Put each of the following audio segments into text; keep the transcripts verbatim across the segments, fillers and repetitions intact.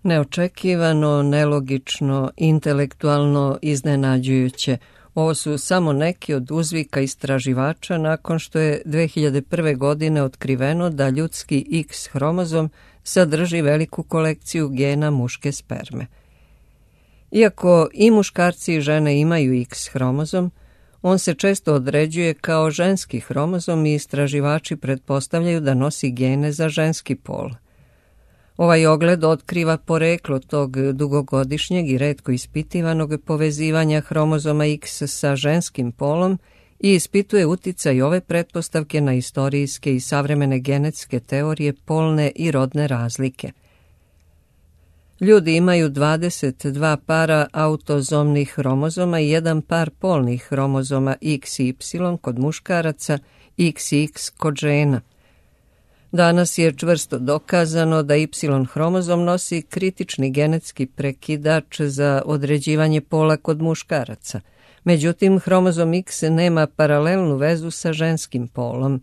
Neočekivano, nelogično, intelektualno iznenađujuće. Ovo su samo neki od uzvika istraživača nakon što je dve hiljade prve. godine otkriveno da ljudski X hromozom sadrži veliku kolekciju gena muške sperme. Iako i muškarci i žene imaju X hromozom, on se često određuje kao ženski hromozom i istraživači pretpostavljaju da nosi gene za ženski pol. Ovaj ogled otkriva poreklo tog dugogodišnjeg i retko ispitivanog povezivanja hromozoma X sa ženskim polom i ispituje uticaj ove pretpostavke na istorijske i savremene genetske teorije polne i rodne razlike. Ljudi imaju dvadeset dva para autozomnih hromozoma i jedan par polnih hromozoma X Y kod muškaraca, X X kod žena. Danas je čvrsto dokazano da Y hromozom nosi kritični genetski prekidač za određivanje pola kod muškaraca. Međutim, hromozom X nema paralelnu vezu sa ženskim polom.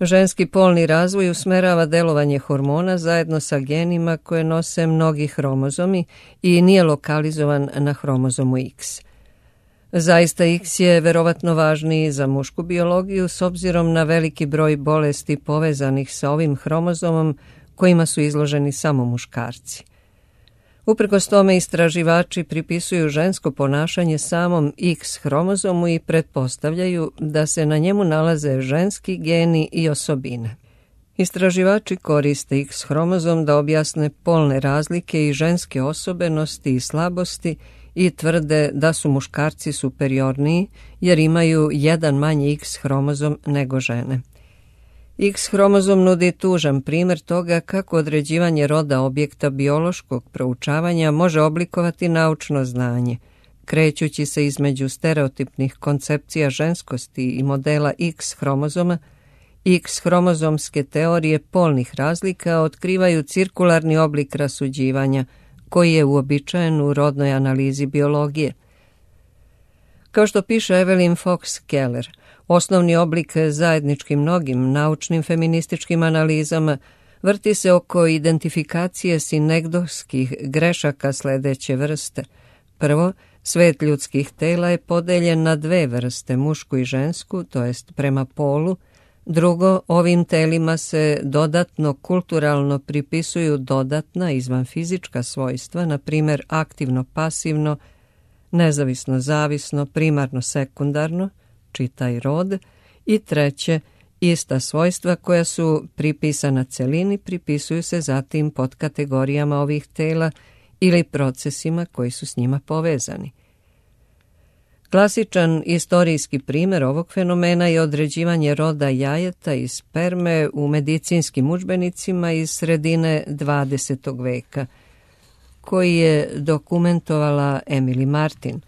Ženski polni razvoj usmerava delovanje hormona zajedno sa genima koje nose mnogi hromozomi i nije lokalizovan na hromozomu X. Zaista X je verovatno važniji za mušku biologiju s obzirom na veliki broj bolesti povezanih sa ovim hromozomom kojima su izloženi samo muškarci. Uprkos tome istraživači pripisuju žensko ponašanje samom X hromozomu i pretpostavljaju da se na njemu nalaze ženski geni i osobine. Istraživači koriste X hromozom da objasne polne razlike i ženske osobenosti i slabosti i tvrde da su muškarci superiorniji jer imaju jedan manji X hromozom nego žene. X hromozom nudi tužan primjer toga kako određivanje roda objekta biološkog proučavanja može oblikovati naučno znanje, krećući se između stereotipnih koncepcija ženskosti i modela X hromozoma. X hromozomske teorije polnih razlika otkrivaju cirkularni oblik rasuđivanja, koji je uobičajen u rodnoj analizi biologije. Kao što piše Evelyn Fox Keller, osnovni oblik zajedničkim mnogim naučnim feminističkim analizama vrti se oko identifikacije sinegdovskih grešaka sledeće vrste. Prvo, svet ljudskih tela je podeljen na dve vrste, mušku i žensku, to jest prema polu. Drugo, ovim telima se dodatno kulturalno pripisuju dodatna izvanfizička svojstva, na primjer aktivno-pasivno, nezavisno-zavisno, primarno-sekundarno, čitaj rod, i treće, ista svojstva koja su pripisana celini pripisuju se zatim pod kategorijama ovih tela ili procesima koji su s njima povezani. Klasičan istorijski primjer ovog fenomena je određivanje roda jajeta i sperme u medicinskim udžbenicima iz sredine dvadesetog veka, koji je dokumentovala Emily Martin.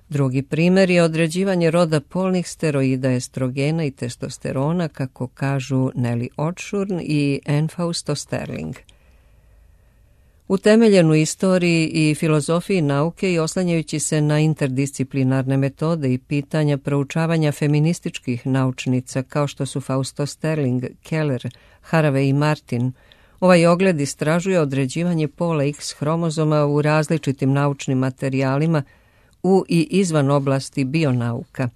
Drugi primjer je određivanje roda polnih steroida, estrogena i testosterona, kako kažu Nelly Otshorn i Anne Fausto Sterling. Utemeljen u istoriji i filozofiji nauke i oslanjajući se na interdisciplinarne metode i pitanja proučavanja feminističkih naučnica kao što su Fausto Sterling, Keller, Haraway i Martin, ovaj ogled istražuje određivanje pola X hromozoma u različitim naučnim materijalima u i izvan oblasti bionauka.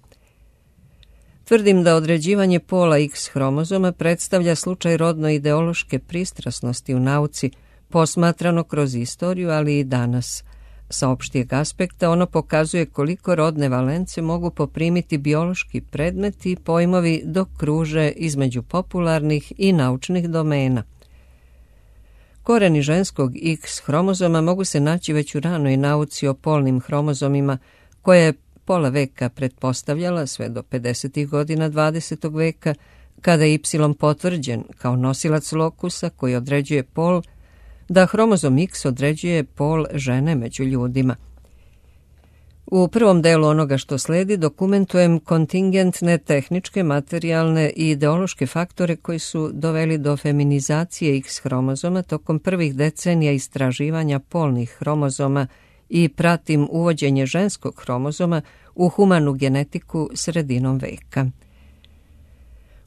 Tvrdim da određivanje pola X hromozoma predstavlja slučaj rodno-ideološke pristrasnosti u nauci, posmatrano kroz istoriju, ali i danas. Sa opštijeg aspekta ono pokazuje koliko rodne valence mogu poprimiti biološki predmeti i pojmovi dok kruže između popularnih i naučnih domena. Koreni ženskog X hromozoma mogu se naći već u ranoj nauci o polnim hromozomima, koja je pola veka pretpostavljala sve do pedesetih godina dvadesetog veka, kada je Y potvrđen kao nosilac lokusa koji određuje pol, da hromozom X određuje pol žene među ljudima. U prvom delu onoga što sledi dokumentujem kontingentne tehničke, materijalne i ideološke faktore koji su doveli do feminizacije X hromozoma tokom prvih decenija istraživanja polnih hromozoma i pratim uvođenje ženskog hromozoma u humanu genetiku sredinom veka.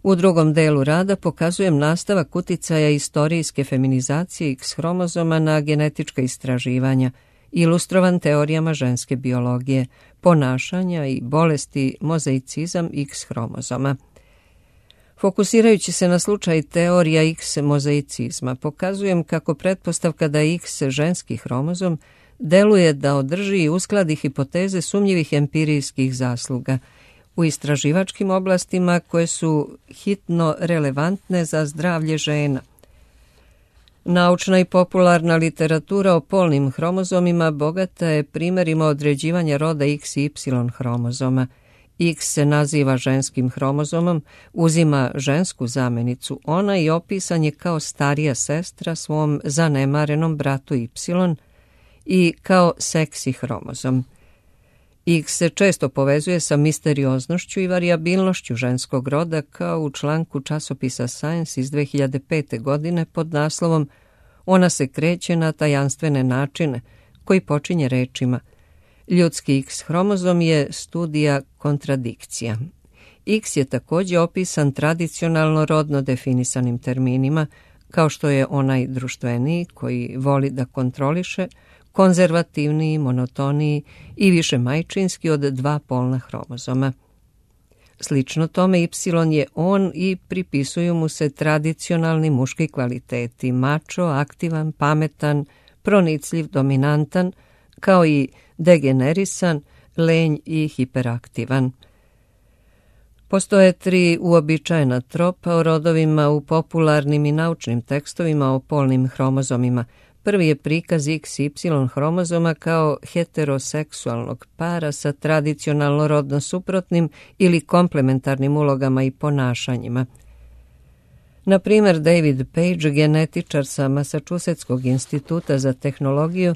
U drugom delu rada pokazujem nastavak uticaja istorijske feminizacije X hromozoma na genetička istraživanja, ilustrovan teorijama ženske biologije, ponašanja i bolesti mozaicizam X hromozoma. Fokusirajući se na slučaj teorija X mozaicizma, pokazujem kako pretpostavka da je X ženski hromozom deluje da održi i uskladi hipoteze sumnjivih empirijskih zasluga u istraživačkim oblastima koje su hitno relevantne za zdravlje žena. Naučna i popularna literatura o polnim hromozomima bogata je primjerima određivanja roda X i Y hromozoma. X se naziva ženskim hromozomom, uzima žensku zamenicu ona i opisan je kao starija sestra svom zanemarenom bratu Y i kao seksi hromozom. X se često povezuje sa misterioznošću i varijabilnošću ženskog roda, kao u članku časopisa Science iz dve hiljade pete. godine pod naslovom Ona se kreće na tajanstvene načine, koji počinje rečima Ljudski X hromozom je studija kontradikcija. X je također opisan tradicionalno rodno definisanim terminima, kao što je onaj društveniji koji voli da kontroliše, konzervativniji, monotoniji i više majčinski od dva polna hromozoma. Slično tome Y je on i pripisuju mu se tradicionalni muški kvaliteti, mačo, aktivan, pametan, pronicljiv, dominantan, kao i degenerisan, lenj i hiperaktivan. Postoje tri uobičajena tropa o rodovima u popularnim i naučnim tekstovima o polnim hromozomima. Prvi je prikaz X Y hromozoma kao heteroseksualnog para sa tradicionalno rodno suprotnim ili komplementarnim ulogama i ponašanjima. Na primjer, David Page, genetičar sa Massachusettskog instituta za tehnologiju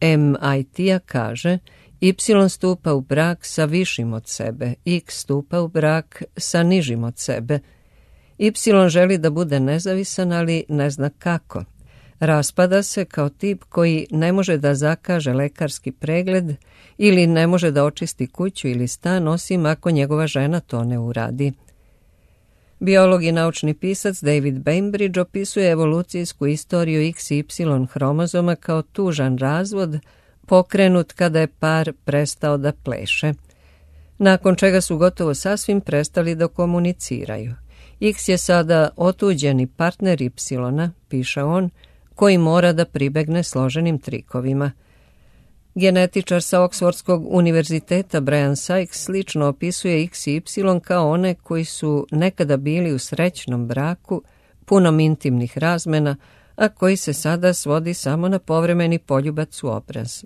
M I T-a, kaže Y stupa u brak sa višim od sebe, X stupa u brak sa nižim od sebe. Y želi da bude nezavisan, ali ne zna kako. Raspada se kao tip koji ne može da zakaže lekarski pregled ili ne može da očisti kuću ili stan, osim ako njegova žena to ne uradi. Biolog i naučni pisac David Bainbridge opisuje evolucijsku istoriju X i Y hromozoma kao tužan razvod pokrenut kada je par prestao da pleše, nakon čega su gotovo sasvim prestali da komuniciraju. X je sada otuđeni partner Y, piše on, koji mora da pribegne složenim trikovima. Genetičar sa Oksfordskog univerziteta Brian Sykes slično opisuje X i Y kao one koji su nekada bili u srećnom braku, punom intimnih razmena, a koji se sada svodi samo na povremeni poljubac u obraz.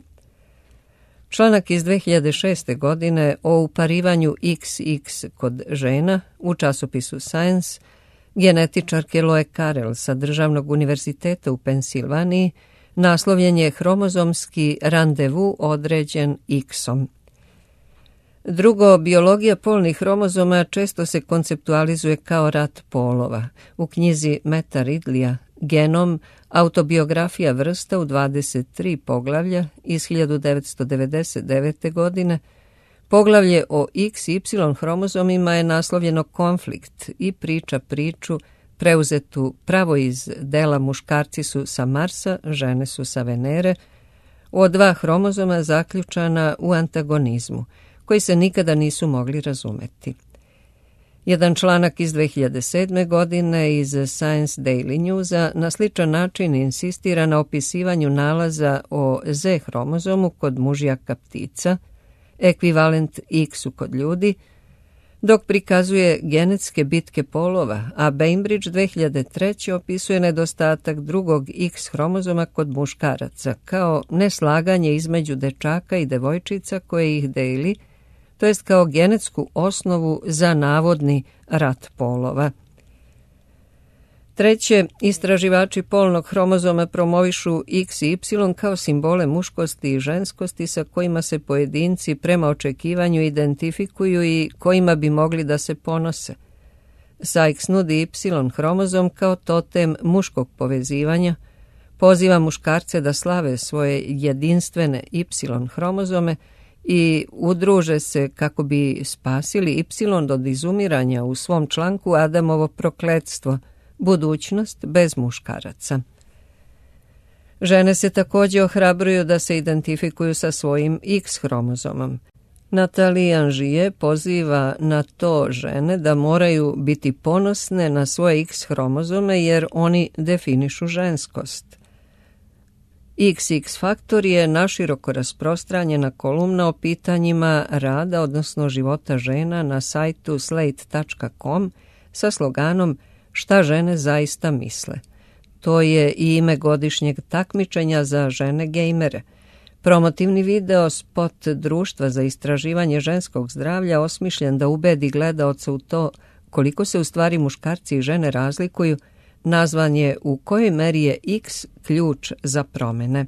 Članak iz dve hiljade šeste. godine o uparivanju X X kod žena u časopisu Science genetičarke Loe Carrel sa Državnog univerziteta u Pensilvaniji naslovljen je Hromozomski randevu određen X-om. Drugo, biologija polnih hromozoma često se konceptualizuje kao rat polova. U knjizi Meta Ridleya Genom, autobiografija vrsta u dvadeset tri poglavlja iz hiljadu devetsto devedeset devete. godine, poglavlje o X i Y hromozomima je naslovljeno Konflikt i priča priču preuzetu pravo iz dela Muškarci su sa Marsa, žene su sa Venere, o dva hromozoma zaključana u antagonizmu, koji se nikada nisu mogli razumeti. Jedan članak iz dve hiljade sedme. godine iz Science Daily Newsa na sličan način insistira na opisivanju nalaza o Z hromozomu kod mužjaka ptica, ekvivalent X-u kod ljudi, dok prikazuje genetske bitke polova, a Bainbridge dve hiljade treće. opisuje nedostatak drugog X hromozoma kod muškaraca kao neslaganje između dečaka i devojčica koje ih deli, to jest kao genetsku osnovu za navodni rat polova. Treće, istraživači polnog hromozoma promovišu X i Y kao simbole muškosti i ženskosti sa kojima se pojedinci prema očekivanju identifikuju i kojima bi mogli da se ponose. Sykes nudi Y hromozom kao totem muškog povezivanja, poziva muškarce da slave svoje jedinstvene Y hromozome i udruže se kako bi spasili Y od izumiranja u svom članku Adamovo prokletstvo, budućnost bez muškaraca. Žene se također ohrabruju da se identifikuju sa svojim X hromozomom. Nathalie Angier poziva na to žene da moraju biti ponosne na svoje X hromozome jer oni definišu ženskost. iks iks faktor je naširoko rasprostranjena kolumna o pitanjima rada, odnosno života žena na sajtu slate tačka com sa sloganom Šta žene zaista misle. To je i ime godišnjeg takmičenja za žene gejmere. Promotivni video spot Društva za istraživanje ženskog zdravlja osmišljen da ubedi gledaoca u to koliko se u stvari muškarci i žene razlikuju, nazvan je U kojoj meri je X ključ za promene.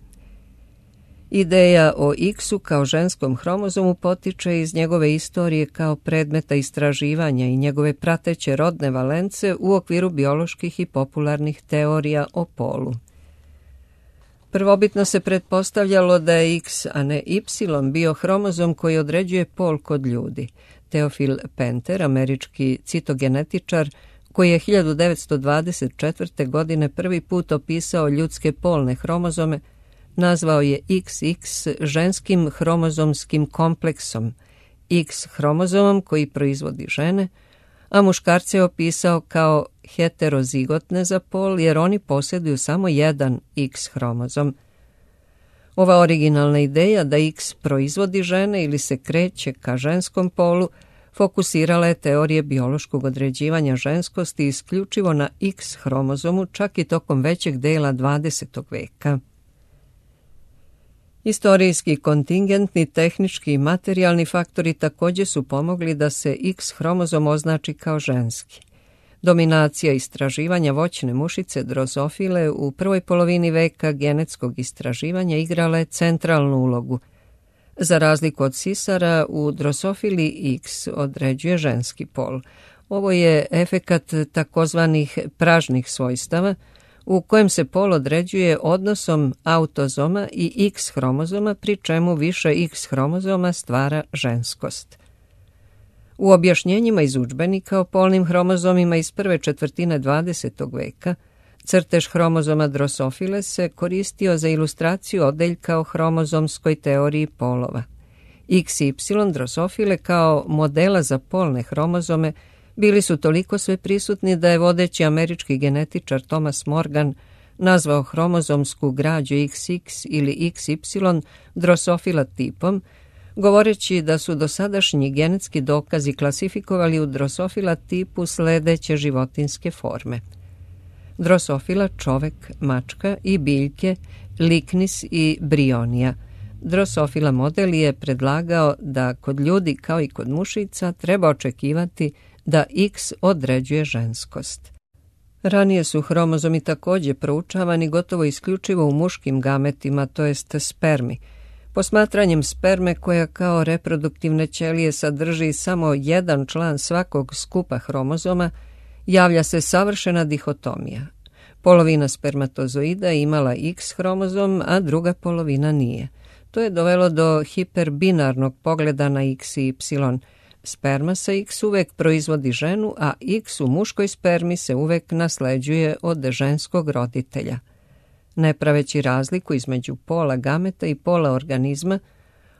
Ideja o X-u kao ženskom hromozomu potiče iz njegove istorije kao predmeta istraživanja i njegove prateće rodne valence u okviru bioloških i popularnih teorija o polu. Prvobitno se pretpostavljalo da je X, a ne Y, bio hromozom koji određuje pol kod ljudi. Theophil Penter, američki citogenetičar, koji je hiljadu devetsto dvadeset četvrte. godine prvi put opisao ljudske polne hromozome, nazvao je iks iks ženskim hromozomskim kompleksom, X hromozomom koji proizvodi žene, a muškarce je opisao kao heterozigotne za pol jer oni posjeduju samo jedan X hromozom. Ova originalna ideja da X proizvodi žene ili se kreće ka ženskom polu fokusirala je teorije biološkog određivanja ženskosti isključivo na X hromozomu čak i tokom većeg dela dvadesetog veka. Istorijski, kontingentni, tehnički i materijalni faktori također su pomogli da se X hromozom označi kao ženski. Dominacija istraživanja voćne mušice drozofile u prvoj polovini veka genetskog istraživanja igrala je centralnu ulogu. Za razliku od sisara, u drosofili X određuje ženski pol. Ovo je efekat takozvanih pražnih svojstava, u kojem se pol određuje odnosom autozoma i X hromozoma, pri čemu više X hromozoma stvara ženskost. U objašnjenjima iz udžbenika o polnim hromozomima iz prve četvrtine dvadesetog veka, crtež hromozoma drosofile se koristio za ilustraciju odeljka o hromozomskoj teoriji polova. iks ipsilon drosofile kao modela za polne hromozome bili su toliko sve prisutni da je vodeći američki genetičar Thomas Morgan nazvao hromozomsku građu iks iks ili iks ipsilon drosofila tipom, govoreći da su dosadašnji genetski dokazi klasifikovali u drosofila tipu sledeće životinske forme: drosofila čovek, mačka i biljke, liknis i brionija. Drosofila model je predlagao da kod ljudi kao i kod mušica treba očekivati da X određuje ženskost. Ranije su hromozomi također proučavani gotovo isključivo u muškim gametima, to jest spermi. Posmatranjem sperme koja kao reproduktivne ćelije sadrži samo jedan član svakog skupa hromozoma, javlja se savršena dihotomija. Polovina spermatozoida imala X hromozom, a druga polovina nije. To je dovelo do hiperbinarnog pogleda na X i Y. Sperma sa X uvek proizvodi ženu, a X u muškoj spermi se uvek nasleđuje od ženskog roditelja. Ne praveći razliku između pola gameta i pola organizma,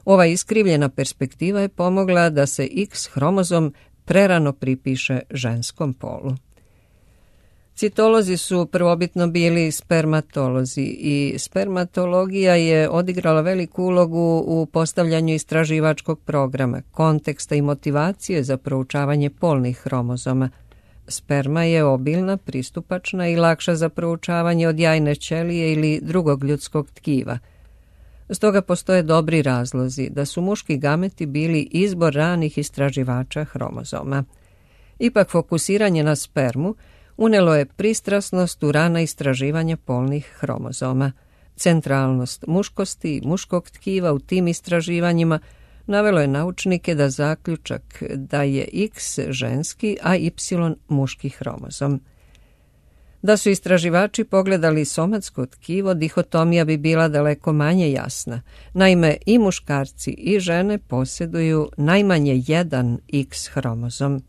ova iskrivljena perspektiva je pomogla da se X hromozom prerano pripiše ženskom polu. Citolozi su prvobitno bili spermatolozi i spermatologija je odigrala veliku ulogu u postavljanju istraživačkog programa, konteksta i motivacije za proučavanje polnih hromozoma. Sperma je obilna, pristupačna i lakša za proučavanje od jajne ćelije ili drugog ljudskog tkiva. Stoga postoje dobri razlozi da su muški gameti bili izbor ranih istraživača hromozoma. Ipak fokusiranje na spermu unelo je pristrasnost u rana istraživanja polnih hromozoma. Centralnost muškosti i muškog tkiva u tim istraživanjima navelo je naučnike da zaključak da je X ženski, a Y muški hromozom. Da su istraživači pogledali somatsko tkivo, dihotomija bi bila daleko manje jasna. Naime, i muškarci i žene posjeduju najmanje jedan X hromozom.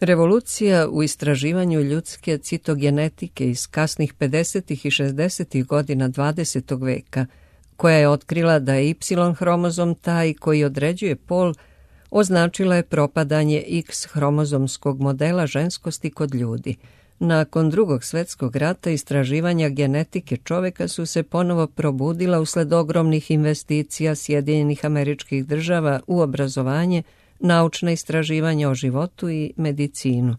Revolucija u istraživanju ljudske citogenetike iz kasnih pedesetih i šezdesetih godina dvadesetog veka, koja je otkrila da je Y hromozom taj koji određuje pol, označila je propadanje X hromozomskog modela ženskosti kod ljudi. Nakon Drugog svjetskog rata istraživanja genetike čovjeka su se ponovo probudila usled ogromnih investicija Sjedinjenih Američkih Država u obrazovanje, naučna istraživanja o životu i medicinu.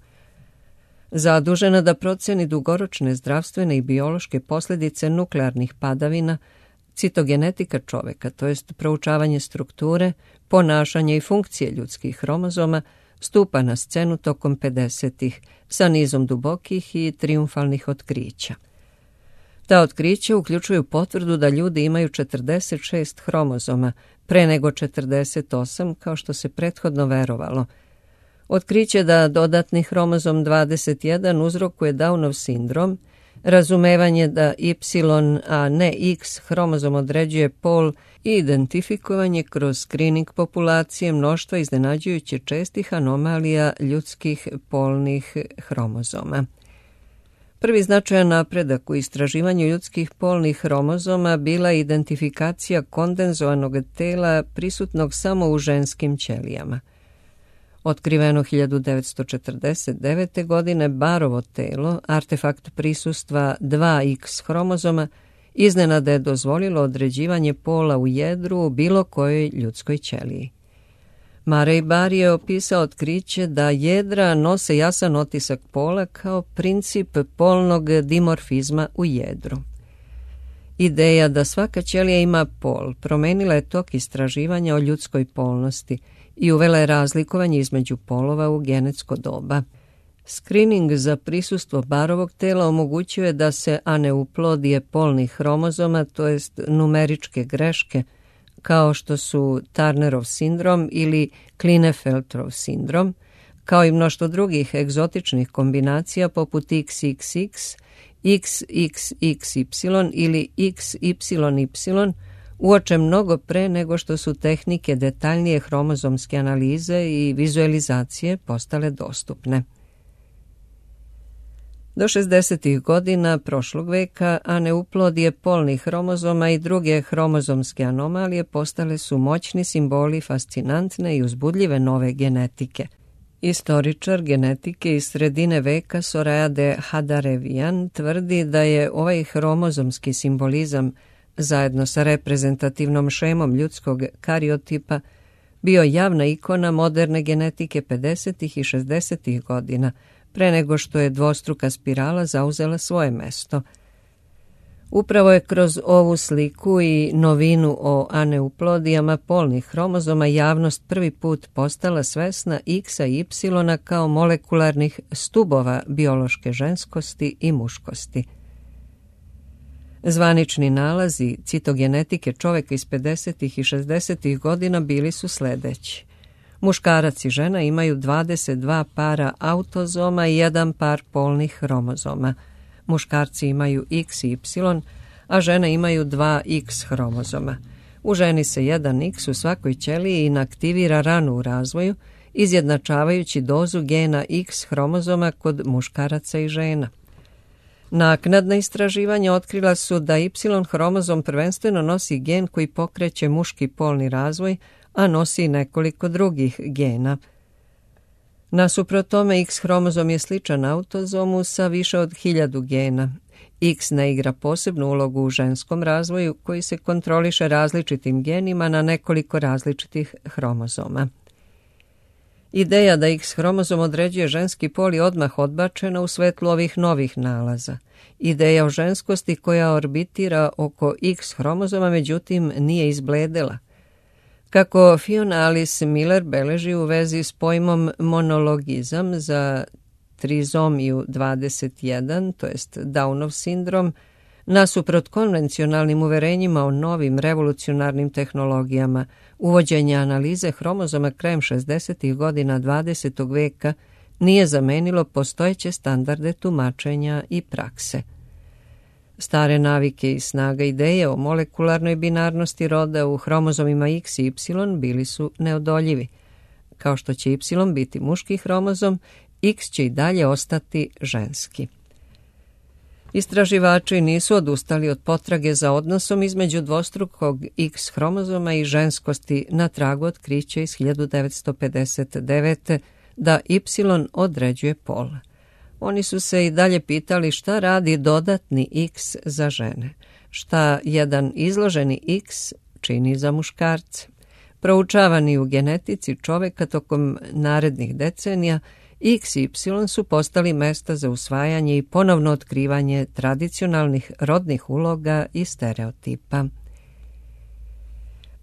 Zadužena da proceni dugoročne zdravstvene i biološke posljedice nuklearnih padavina, citogenetika čovjeka, to jest proučavanje strukture, ponašanja i funkcije ljudskih hromozoma, stupa na scenu tokom pedesetih sa nizom dubokih i trijumfalnih otkrića. Ta otkrića uključuju potvrdu da ljudi imaju četrdeset šest hromozoma, pre nego četrdeset osam, kao što se prethodno verovalo. Otkriće da dodatni hromozom dvadeset jedan uzrokuje Downov sindrom, razumevanje da Y, a ne X hromozom određuje pol i identifikovanje kroz skrining populacije mnoštva iznenađujuće čestih anomalija ljudskih polnih hromozoma. Prvi značajan napredak u istraživanju ljudskih polnih hromozoma bila je identifikacija kondenzovanog tela prisutnog samo u ženskim ćelijama. Otkriveno hiljadu devetsto četrdeset devete. godine Barovo telo, artefakt prisustva dva X hromozoma, iznenada je dozvolilo određivanje pola u jedru u bilo kojoj ljudskoj ćeliji. Murray Bar je opisao otkriće da jedra nose jasan otisak pola kao princip polnog dimorfizma u jedru. Ideja da svaka ćelija ima pol promenila je tok istraživanja o ljudskoj polnosti i uvela je razlikovanje između polova u genetsko doba. Screening za prisustvo Barovog tela omogućuje da se aneuplodije polnih hromozoma, to jest numeričke greške, kao što su Turnerov sindrom ili Klinefelterov sindrom, kao i mnoštvo drugih egzotičnih kombinacija poput X X X, X X X Y ili X Y Y, uoče mnogo pre nego što su tehnike detaljnije hromozomske analize i vizualizacije postale dostupne. Do šezdesetih godina prošlog veka aneuplodije polnih hromozoma i druge hromozomske anomalije postale su moćni simboli fascinantne i uzbudljive nove genetike. Istoričar genetike iz sredine veka Soraya de Hadarevian tvrdi da je ovaj hromozomski simbolizam zajedno sa reprezentativnom šemom ljudskog kariotipa bio javna ikona moderne genetike pedesetih i šezdesetih godina, pre nego što je dvostruka spirala zauzela svoje mesto. Upravo je kroz ovu sliku i novinu o aneuplodijama polnih hromozoma javnost prvi put postala svesna X-a i Y kao molekularnih stubova biološke ženskosti i muškosti. Zvanični nalazi citogenetike čovjeka iz pedesetih i šezdesetih godina bili su sljedeći. Muškarac i žena imaju dvadeset dva para autozoma i jedan par polnih hromozoma. Muškarci imaju X i Y, a žene imaju dva X hromozoma. U ženi se jedan X u svakoj ćeliji inaktivira rano u razvoju, izjednačavajući dozu gena X hromozoma kod muškaraca i žena. Naknadna istraživanja otkrila su da Y hromozom prvenstveno nosi gen koji pokreće muški polni razvoj, a nosi nekoliko drugih gena. Nasuprot tome, X hromozom je sličan autozomu sa više od hiljadu gena. X ne igra posebnu ulogu u ženskom razvoju koji se kontroliše različitim genima na nekoliko različitih hromozoma. Ideja da X hromozom određuje ženski pol je odmah odbačena u svetlu ovih novih nalaza. Ideja o ženskosti koja orbitira oko X hromozoma međutim nije izbledela. Kako Fiona Alice Miller beleži u vezi s pojmom monologizam za trizomiju dvadeset jedan, to jest Downov sindrom, nasuprot konvencionalnim uverenjima o novim revolucionarnim tehnologijama, uvođenja analize hromozoma krajem šezdesetih godina dvadesetog veka nije zamenilo postojeće standarde tumačenja i prakse. Stare navike i snaga ideje o molekularnoj binarnosti roda u hromozomima X i Y bili su neodoljivi. Kao što će Y biti muški hromozom, X će i dalje ostati ženski. Istraživači nisu odustali od potrage za odnosom između dvostrukog X hromozoma i ženskosti na tragu otkrića iz hiljadu devetsto pedeset devete. da Y određuje pol. Oni su se i dalje pitali šta radi dodatni X za žene, šta jedan izloženi X čini za muškarce. Proučavani u genetici čoveka tokom narednih decenija, X i Y su postali mesta za usvajanje i ponovno otkrivanje tradicionalnih rodnih uloga i stereotipa.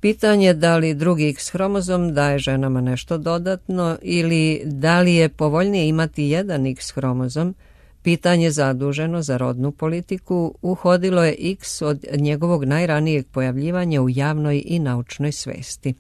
Pitanje da li drugi X hromozom daje ženama nešto dodatno ili da li je povoljnije imati jedan X hromozom, pitanje zaduženo za rodnu politiku, uhodilo je X od njegovog najranijeg pojavljivanja u javnoj i naučnoj svesti.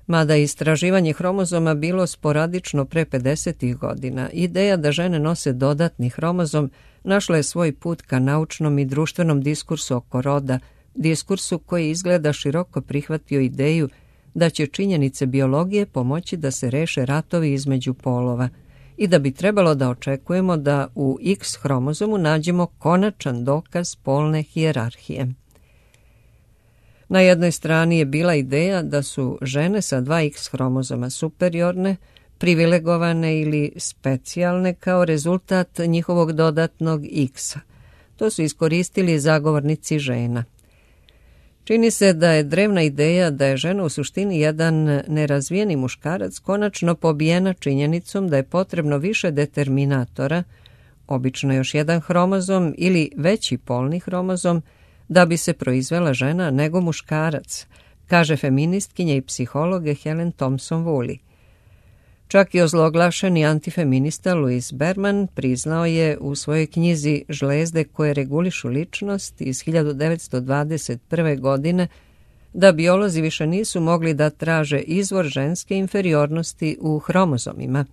Mada istraživanje hromozoma bilo sporadično pre pedesetih godina, ideja da žene nose dodatni hromozom našla je svoj put ka naučnom i društvenom diskursu oko roda, diskursu koji izgleda široko prihvatio ideju da će činjenice biologije pomoći da se reše ratovi između polova i da bi trebalo da očekujemo da u X hromozomu nađemo konačan dokaz polne hijerarhije. Na jednoj strani je bila ideja da su žene sa dva X hromozoma superiorne, privilegovane ili specijalne kao rezultat njihovog dodatnog X-a. To su iskoristili zagovornici žena. Čini se da je drevna ideja da je žena u suštini jedan nerazvijeni muškarac konačno pobijena činjenicom da je potrebno više determinatora, obično još jedan hromozom ili veći polni hromozom, da bi se proizvela žena nego muškarac, kaže feministkinja i psihologe Helen Thompson-Woolley. Čak i ozloglašeni antifeminista Louis Berman priznao je u svojoj knjizi Žlezde koje regulišu ličnost iz hiljadu devetsto dvadeset prve. godine da biolozi više nisu mogli da traže izvor ženske inferiornosti u hromozomima.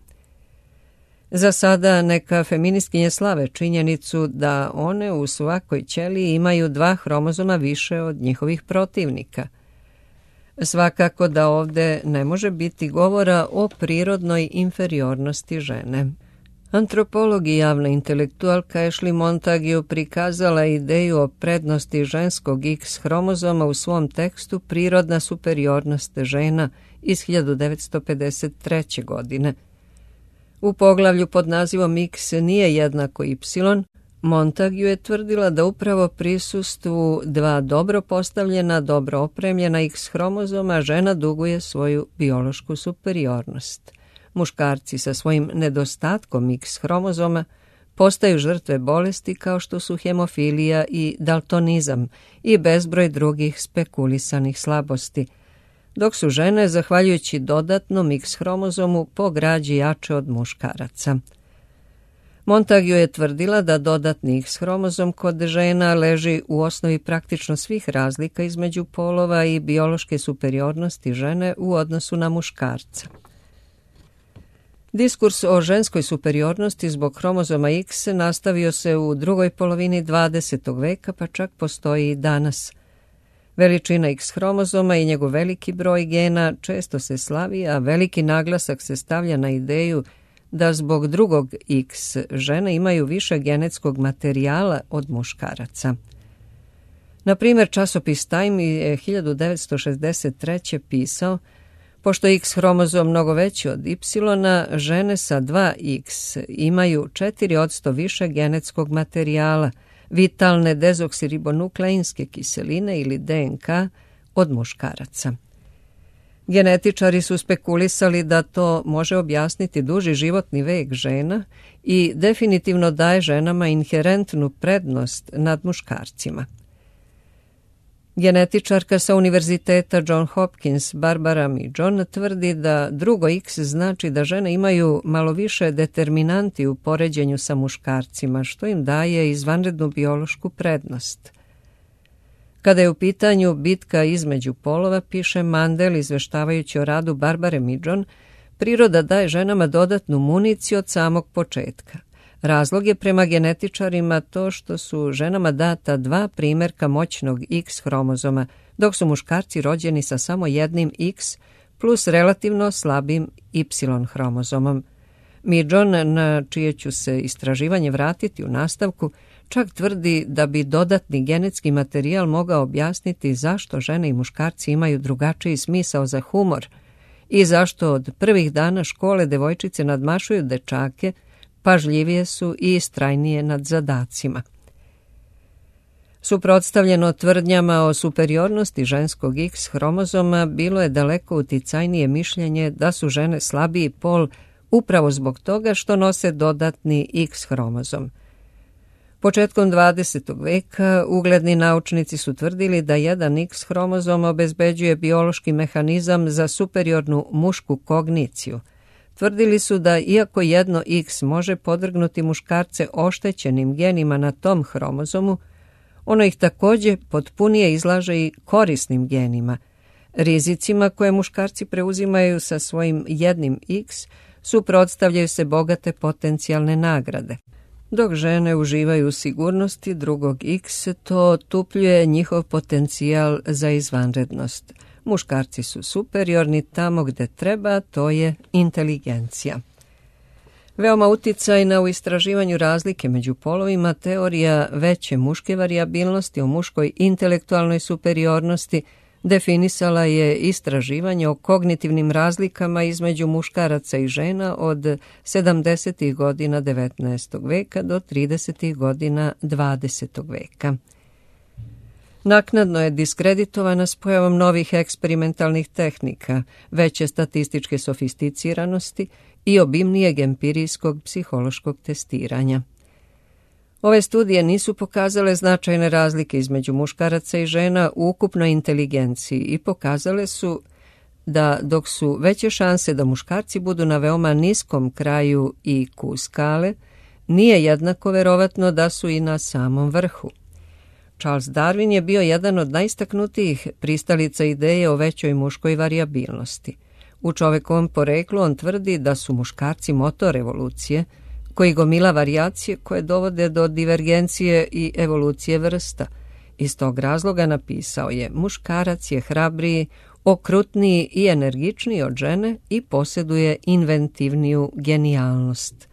Za sada neka feministkinje slave činjenicu da one u svakoj ćeliji imaju dva hromozoma više od njihovih protivnika. Svakako da ovde ne može biti govora o prirodnoj inferiornosti žene. Antropolog i javna intelektualka Ashley Montague prikazala ideju o prednosti ženskog X hromozoma u svom tekstu Prirodna superiornost žena iz hiljadu devetsto pedeset treće. godine. U poglavlju pod nazivom X nije jednako Y, Montague je tvrdila da upravo prisustvu dva dobro postavljena, dobro opremljena X hromozoma žena duguje svoju biološku superiornost. Muškarci sa svojim nedostatkom X hromozoma postaju žrtve bolesti kao što su hemofilija i daltonizam i bezbroj drugih spekulisanih slabosti, dok su žene, zahvaljujući dodatnom X hromozomu, po građi jače od muškaraca. Montague je tvrdila da dodatni X hromozom kod žena leži u osnovi praktično svih razlika između polova i biološke superiornosti žene u odnosu na muškarca. Diskurs o ženskoj superiornosti zbog hromozoma X nastavio se u drugoj polovini dvadesetog veka, pa čak postoji i danas. Veličina X hromozoma i njegov veliki broj gena često se slavi, a veliki naglasak se stavlja na ideju da zbog drugog X žene imaju više genetskog materijala od muškaraca. Na primjer, časopis Time je hiljadu devetsto šezdeset treće. pisao: pošto je X hromozom mnogo veći od Y, žene sa dva X imaju četiri posto više genetskog materijala, vitalne dezoksiribonukleinske kiseline ili D N K od muškaraca. Genetičari su spekulisali da to može objasniti duži životni vek žena i definitivno daje ženama inherentnu prednost nad muškarcima. Genetičarka sa univerziteta John Hopkins Barbara Midjon tvrdi da drugo X znači da žene imaju malo više determinanti u poređenju sa muškarcima, što im daje izvanrednu biološku prednost. Kada je u pitanju bitka između polova, piše Mandel izveštavajući o radu Barbare Midjon, Priroda daje ženama dodatnu municiju od samog početka. Razlog je prema genetičarima to što su ženama data dva primjerka moćnog X hromozoma, dok su muškarci rođeni sa samo jednim X plus relativno slabim Y hromozomom. Midžon, na čije ću se istraživanje vratiti u nastavku, čak tvrdi da bi dodatni genetski materijal mogao objasniti zašto žene i muškarci imaju drugačiji smisao za humor i zašto od prvih dana škole devojčice nadmašuju dečake, pažljivije su i istrajnije nad zadacima. Suprotstavljeno tvrdnjama o superiornosti ženskog X hromozoma bilo je daleko uticajnije mišljenje da su žene slabiji pol upravo zbog toga što nose dodatni X hromozom. Početkom dvadesetog veka ugledni naučnici su tvrdili da jedan X hromozom obezbeđuje biološki mehanizam za superiornu mušku kogniciju. Tvrdili su da iako jedno X može podvrgnuti muškarce oštećenim genima na tom hromozomu, ono ih također potpunije izlaže i korisnim genima. Rizicima koje muškarci preuzimaju sa svojim jednim X suprotstavljaju se bogate potencijalne nagrade. Dok žene uživaju u sigurnosti drugog X, to otupljuje njihov potencijal za izvanrednost. Muškarci su superiorni tamo gde treba, to je inteligencija. Veoma uticajna u istraživanju razlike među polovima teorija veće muške varijabilnosti o muškoj intelektualnoj superiornosti definisala je istraživanje o kognitivnim razlikama između muškaraca i žena od sedamdesetih godina devetnaestog veka do tridesetih godina dvadesetog veka. Naknadno je diskreditovana s pojavom novih eksperimentalnih tehnika, veće statističke sofisticiranosti i obimnijeg empirijskog psihološkog testiranja. Ove studije nisu pokazale značajne razlike između muškaraca i žena u ukupnoj inteligenciji i pokazale su da dok su veće šanse da muškarci budu na veoma niskom kraju I Q skale, nije jednako verovatno da su i na samom vrhu. Charles Darwin je bio jedan od najistaknutijih pristalica ideje o većoj muškoj varijabilnosti. U čovekovom poreklu on tvrdi da su muškarci motor evolucije, koji gomila varijacije koje dovode do divergencije i evolucije vrsta. Iz tog razloga napisao je: muškarac je hrabriji, okrutniji i energičniji od žene i posjeduje inventivniju genijalnost.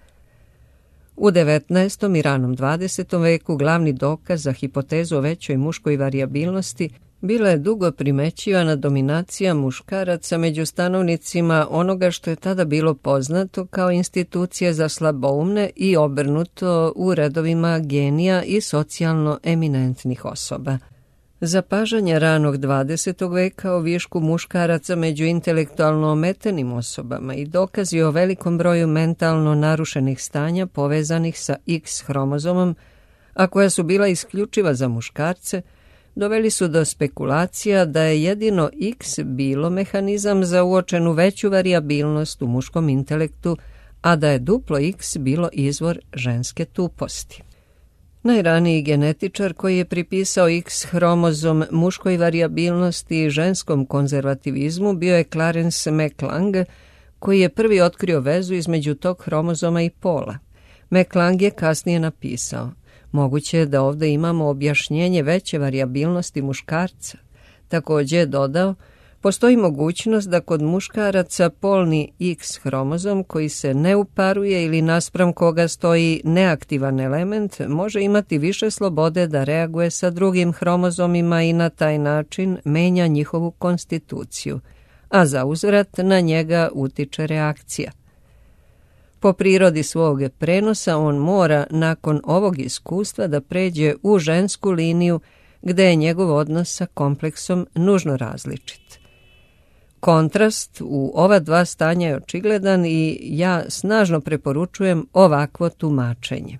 U devetnaestom i ranom dvadesetom veku glavni dokaz za hipotezu o većoj muškoj varijabilnosti bila je dugo primećivana dominacija muškaraca među stanovnicima onoga što je tada bilo poznato kao institucije za slaboumne i obrnuto u redovima genija i socijalno eminentnih osoba. Zapažanje ranog dvadesetog veka o višku muškaraca među intelektualno ometenim osobama i dokazi o velikom broju mentalno narušenih stanja povezanih sa X hromozomom, a koja su bila isključiva za muškarce, doveli su do spekulacija da je jedino X bilo mehanizam za uočenu veću varijabilnost u muškom intelektu, a da je duplo X bilo izvor ženske tuposti. Najraniji genetičar koji je pripisao X hromozom muškoj varijabilnosti i ženskom konzervativizmu bio je Clarence McLang, koji je prvi otkrio vezu između tog hromozoma i pola. McLang je kasnije napisao: moguće je da ovdje imamo objašnjenje veće varijabilnosti muškarca. Također je dodao: postoji mogućnost da kod muškaraca polni X hromozom koji se ne uparuje ili naspram koga stoji neaktivan element može imati više slobode da reaguje sa drugim hromozomima i na taj način menja njihovu konstituciju, a za uzvrat na njega utiče reakcija. Po prirodi svog prenosa on mora nakon ovog iskustva da pređe u žensku liniju gde je njegov odnos sa kompleksom nužno različit. Kontrast u ova dva stanja je očigledan i ja snažno preporučujem ovakvo tumačenje.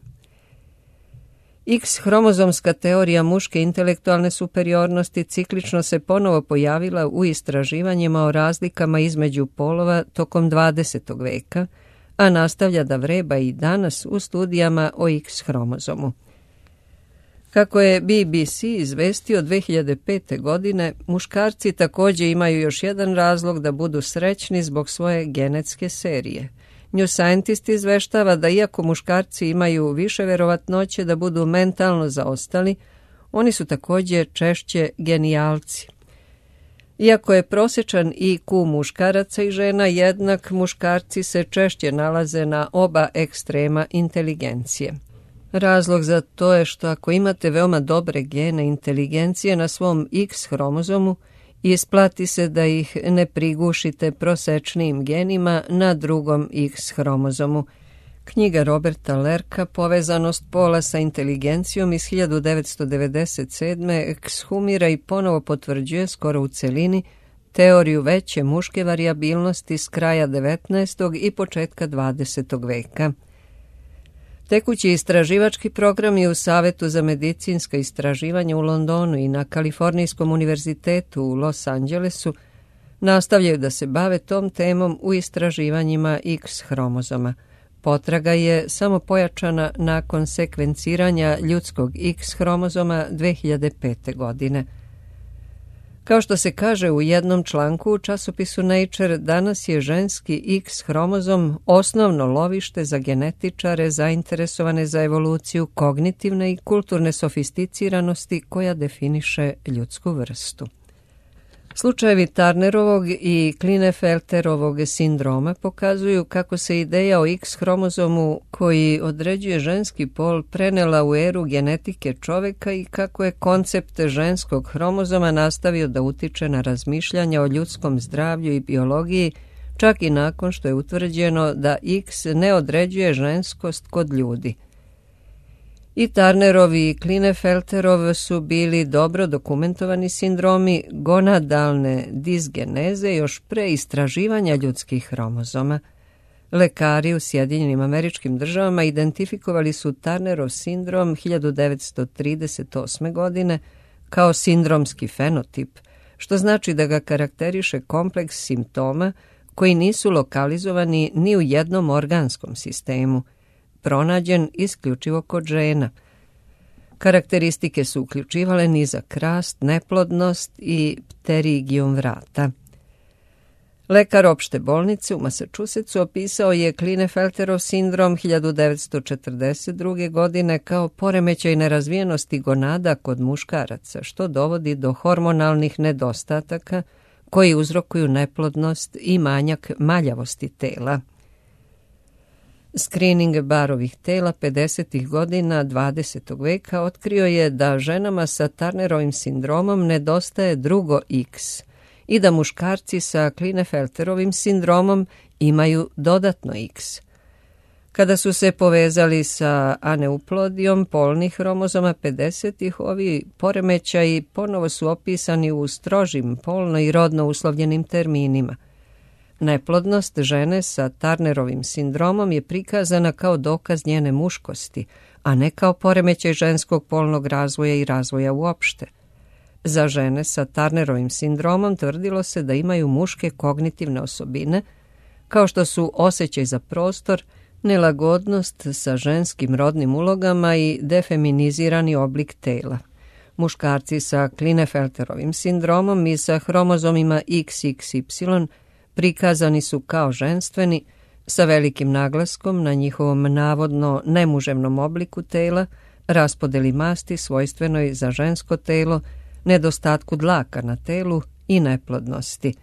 X hromozomska teorija muške intelektualne superiornosti ciklično se ponovo pojavila u istraživanjima o razlikama između polova tokom dvadesetog veka, a nastavlja da vreba i danas u studijama o X hromozomu. Kako je B B C izvestio dve hiljade pete. godine, muškarci također imaju još jedan razlog da budu srećni zbog svoje genetske serije. New Scientist izveštava da iako muškarci imaju više verovatnoće da budu mentalno zaostali, oni su također češće genijalci. Iako je prosječan I Q muškaraca i žena jednak, muškarci se češće nalaze na oba ekstrema inteligencije. Razlog za to je što ako imate veoma dobre gene inteligencije na svom X hromozomu, isplati se da ih ne prigušite prosečnijim genima na drugom X hromozomu. Knjiga Roberta Lerka Povezanost pola sa inteligencijom iz hiljadu devetsto devedeset sedme. ekshumira i ponovo potvrđuje skoro u celini teoriju veće muške varijabilnosti s kraja devetnaestog i početka dvadesetog veka. Tekući istraživački programi u Savetu za medicinska istraživanja u Londonu i na Kalifornijskom univerzitetu u Los Angelesu nastavljaju da se bave tom temom u istraživanjima X hromozoma. Potraga je samo pojačana nakon sekvenciranja ljudskog X hromozoma dve hiljade pete. godine. Kao što se kaže u jednom članku u časopisu Nature, danas je ženski X hromozom osnovno lovište za genetičare zainteresovane za evoluciju kognitivne i kulturne sofisticiranosti koja definiše ljudsku vrstu. Slučajevi Turnerovog i Klinefelterovog sindroma pokazuju kako se ideja o X hromozomu koji određuje ženski pol prenela u eru genetike čoveka i kako je koncept ženskog hromozoma nastavio da utiče na razmišljanja o ljudskom zdravlju i biologiji, čak i nakon što je utvrđeno da X ne određuje ženskost kod ljudi. I Turnerov i Klinefelterov su bili dobro dokumentovani sindromi gonadalne disgeneze još pre istraživanja ljudskih hromozoma. Lekari u Sjedinjenim Američkim Državama identifikovali su Turnerov sindrom hiljadu devetsto trideset osme. godine kao sindromski fenotip, što znači da ga karakteriše kompleks simptoma koji nisu lokalizovani ni u jednom organskom sistemu, pronađen isključivo kod žena. Karakteristike su uključivale nizak rast, neplodnost i pterigijum vrata. Lekar opšte bolnice u Massachusettsu opisao je Klinefelterov sindrom hiljadu devetsto četrdeset druge. godine kao poremećaj nerazvijenosti gonada kod muškaraca, što dovodi do hormonalnih nedostataka koji uzrokuju neplodnost i manjak maljavosti tela. Screening barovih tela pedesetih godina dvadesetog veka otkrio je da ženama sa Turnerovim sindromom nedostaje drugo X i da muškarci sa Klinefelterovim sindromom imaju dodatno X. Kada su se povezali sa aneuplodijom polnih hromozoma pedesetih, ovi poremećaji ponovo su opisani u strožim polno i rodno uslovljenim terminima. Neplodnost žene sa Turnerovim sindromom je prikazana kao dokaz njene muškosti, a ne kao poremećaj ženskog polnog razvoja i razvoja uopšte. Za žene sa Turnerovim sindromom tvrdilo se da imaju muške kognitivne osobine, kao što su osjećaj za prostor, nelagodnost sa ženskim rodnim ulogama i defeminizirani oblik tela. Muškarci sa Klinefelterovim sindromom i sa hromozomima X X Y prikazani su kao ženstveni, sa velikim naglaskom na njihovom navodno nemuževnom obliku tela, raspodeli masti svojstvenoj za žensko telo, nedostatku dlaka na telu i neplodnosti.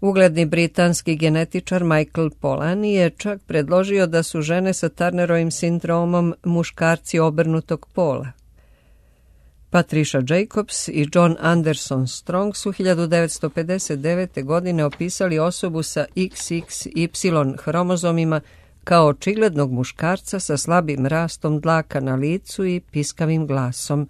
Ugledni britanski genetičar Michael Polanyi je čak predložio da su žene sa Turnerovim sindromom muškarci obrnutog pola. Patricia Jacobs i John Anderson Strong su hiljadu devetsto pedeset devete. godine opisali osobu sa X X Y hromozomima kao očiglednog muškarca sa slabim rastom dlaka na licu i piskavim glasom.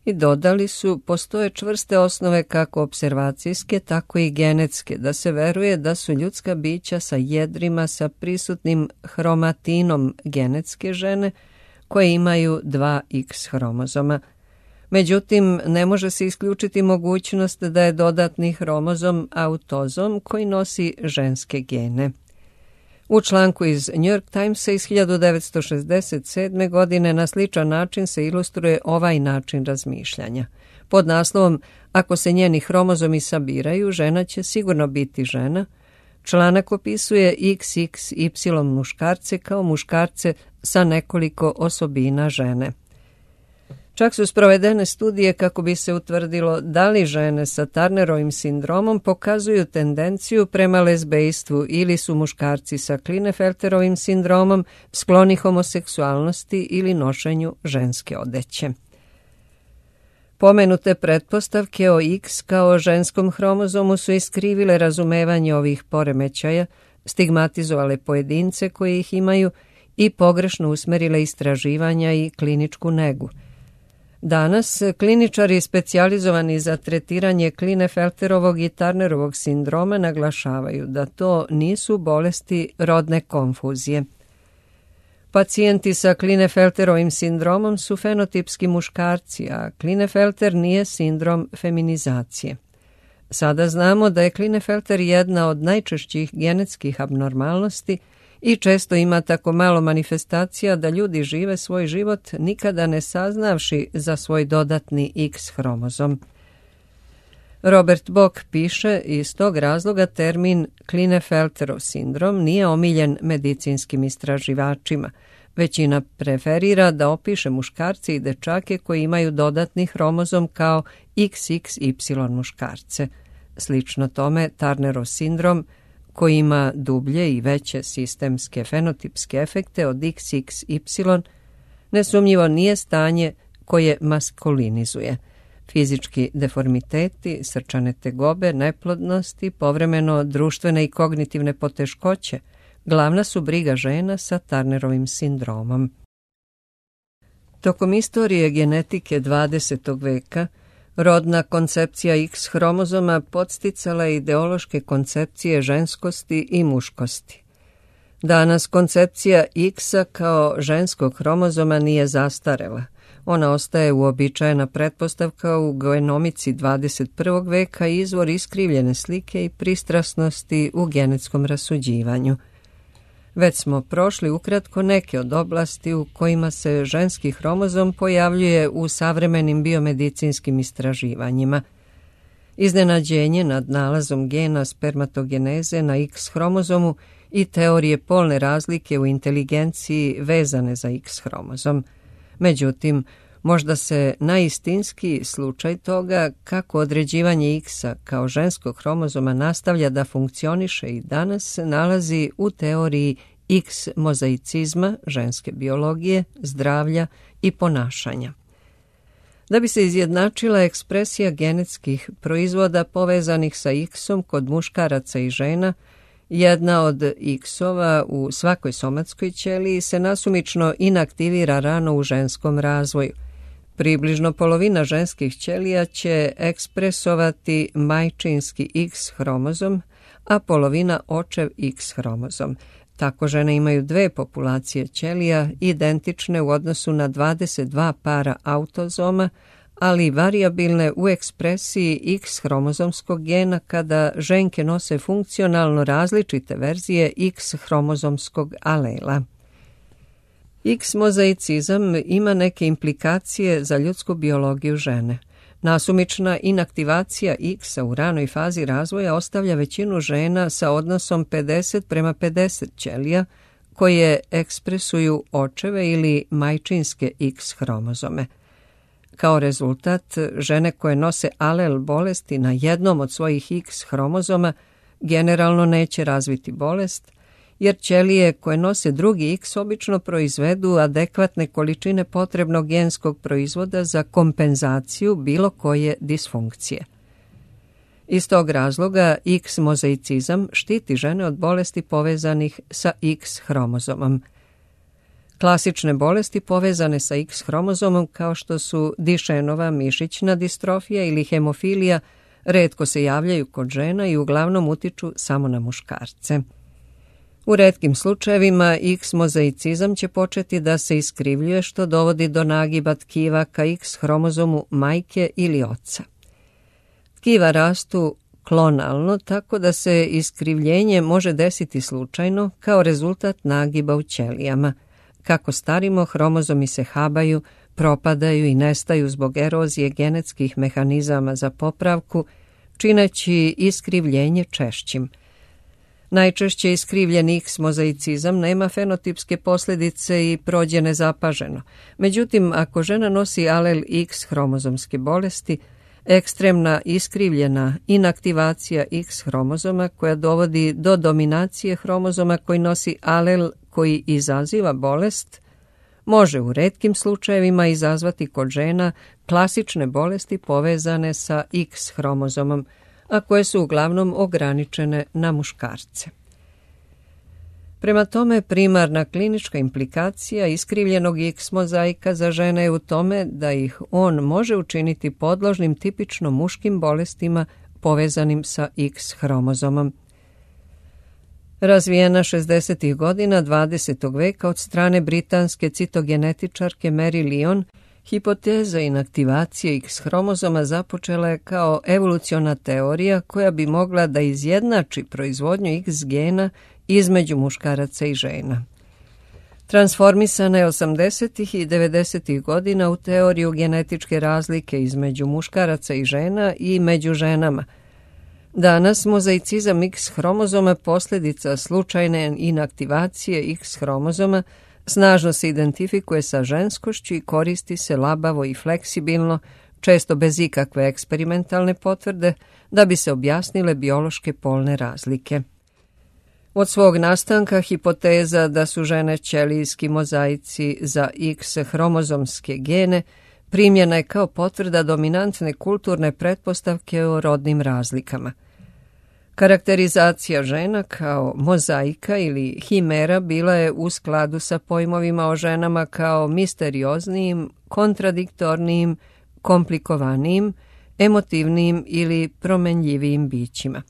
I dodali su, postoje čvrste osnove kako observacijske, tako i genetske, da se veruje da su ljudska bića sa jedrima sa prisutnim hromatinom genetske žene koje imaju dva X hromozoma. Međutim, ne može se isključiti mogućnost da je dodatni hromozom autozom koji nosi ženske gene. U članku iz New York Timesa iz hiljadu devetsto šezdeset sedme. godine na sličan način se ilustruje ovaj način razmišljanja. Pod naslovom "Ako se njeni hromozomi sabiraju, žena će sigurno biti žena", članak opisuje iks iks ipsilon muškarce kao muškarce sa nekoliko osobina žene. Čak su sprovedene studije kako bi se utvrdilo da li žene sa Turnerovim sindromom pokazuju tendenciju prema lezbejstvu ili su muškarci sa Klinefelterovim sindromom skloni homoseksualnosti ili nošenju ženske odeće. Pomenute pretpostavke o X kao ženskom hromozomu su iskrivile razumevanje ovih poremećaja, stigmatizovale pojedince koji ih imaju i pogrešno usmerile istraživanja i kliničku negu. Danas kliničari specijalizovani za tretiranje Klinefelterovog i Turnerovog sindroma naglašavaju da to nisu bolesti rodne konfuzije. Pacijenti sa Klinefelterovim sindromom su fenotipski muškarci, a Klinefelter nije sindrom feminizacije. Sada znamo da je Klinefelter jedna od najčešćih genetskih abnormalnosti i često ima tako malo manifestacija da ljudi žive svoj život nikada ne saznavši za svoj dodatni X hromozom. Robert Bock piše, iz tog razloga termin Klinefelterov sindrom nije omiljen medicinskim istraživačima. Većina preferira da opiše muškarce i dečake koji imaju dodatni hromozom kao iks iks ipsilon muškarce. Slično tome, Turnerov sindrom, koji ima dublje i veće sistemske fenotipske efekte od iks iks ipsilon, nesumnjivo nije stanje koje maskulinizuje. Fizički deformiteti, srčane tegobe, neplodnosti, povremeno društvene i kognitivne poteškoće, glavna su briga žena sa Turnerovim sindromom. Tokom istorije genetike dvadesetog veka, rodna koncepcija X hromozoma podsticala je ideološke koncepcije ženskosti i muškosti. Danas koncepcija X-a kao ženskog hromozoma nije zastarela. Ona ostaje uobičajena pretpostavka u genomici dvadeset prvog veka i izvor iskrivljene slike i pristrasnosti u genetskom rasuđivanju. Već smo prošli ukratko neke od oblasti u kojima se ženski hromozom pojavljuje u savremenim biomedicinskim istraživanjima. Iznenađenje nad nalazom gena spermatogeneze na X hromozomu i teorije polne razlike u inteligenciji vezane za X hromozom. Međutim, možda se najistinski slučaj toga kako određivanje X-a kao ženskog hromozoma nastavlja da funkcioniše i danas nalazi u teoriji X mozaicizma, ženske biologije, zdravlja i ponašanja. Da bi se izjednačila ekspresija genetskih proizvoda povezanih sa X-om kod muškaraca i žena, jedna od X-ova u svakoj somatskoj ćeliji se nasumično inaktivira rano u ženskom razvoju. Približno polovina ženskih ćelija će ekspresovati majčinski X hromozom, a polovina očev X hromozom. Tako žene imaju dve populacije ćelija identične u odnosu na dvadeset dva para autozoma, ali varijabilne u ekspresiji X hromozomskog gena kada ženke nose funkcionalno različite verzije X hromozomskog alela. X mozaicizam ima neke implikacije za ljudsku biologiju žene. Nasumična inaktivacija X-a u ranoj fazi razvoja ostavlja većinu žena sa odnosom pedeset prema pedeset ćelija koje ekspresuju očeve ili majčinske X hromozome. Kao rezultat, žene koje nose alel bolesti na jednom od svojih X hromozoma generalno neće razviti bolest, jer ćelije koje nose drugi X obično proizvedu adekvatne količine potrebnog genskog proizvoda za kompenzaciju bilo koje disfunkcije. Iz tog razloga X mozaicizam štiti žene od bolesti povezanih sa X hromozomom. Klasične bolesti povezane sa X hromozomom kao što su Dišenova mišićna distrofija ili hemofilija retko se javljaju kod žena i uglavnom utiču samo na muškarce. U retkim slučajevima X mozaicizam će početi da se iskrivljuje što dovodi do nagiba tkiva ka X hromozomu majke ili oca. Tkiva rastu klonalno, tako da se iskrivljenje može desiti slučajno kao rezultat nagiba u ćelijama. Kako starimo, hromozomi se habaju, propadaju i nestaju zbog erozije genetskih mehanizama za popravku, čineći iskrivljenje češćim. Najčešće iskrivljen X mozaicizam nema fenotipske posljedice i prođe nezapaženo. Međutim, ako žena nosi alel X hromozomske bolesti, ekstremna iskrivljena inaktivacija X hromozoma koja dovodi do dominacije hromozoma koji nosi alel koji izaziva bolest, može u retkim slučajevima izazvati kod žena klasične bolesti povezane sa X hromozomom, a koje su uglavnom ograničene na muškarce. Prema tome, primarna klinička implikacija iskrivljenog X mozaika za žene je u tome da ih on može učiniti podložnim tipično muškim bolestima povezanim sa X hromozomom. Razvijena šezdesetih godina dvadesetog veka od strane britanske citogenetičarke Mary Lyon, hipoteza inaktivacije X hromozoma započela je kao evoluciona teorija koja bi mogla da izjednači proizvodnju X gena između muškaraca i žena. Transformisana je osamdesetih i devedesetih godina u teoriju genetičke razlike između muškaraca i žena i među ženama. Danas mozaicizam X hromozoma posljedica slučajne inaktivacije X hromozoma snažno se identifikuje sa ženskošću i koristi se labavo i fleksibilno, često bez ikakve eksperimentalne potvrde, da bi se objasnile biološke polne razlike. Od svog nastanka hipoteza da su žene ćelijski mozaici za X hromozomske gene primjena je kao potvrda dominantne kulturne pretpostavke o rodnim razlikama. Karakterizacija žena kao mozaika ili himera bila je u skladu sa pojmovima o ženama kao misterioznijim, kontradiktornijim, komplikovanijim, emotivnijim ili promenljivijim bićima.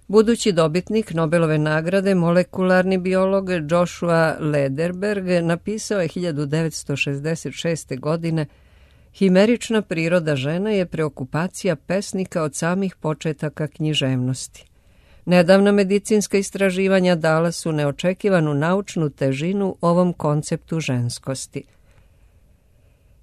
Budući dobitnik Nobelove nagrade, molekularni biolog Joshua Lederberg napisao je hiljadu devetsto šezdeset šeste. godine: himerična priroda žene je preokupacija pesnika od samih početaka književnosti. Nedavna medicinska istraživanja dala su neočekivanu naučnu težinu ovom konceptu ženskosti.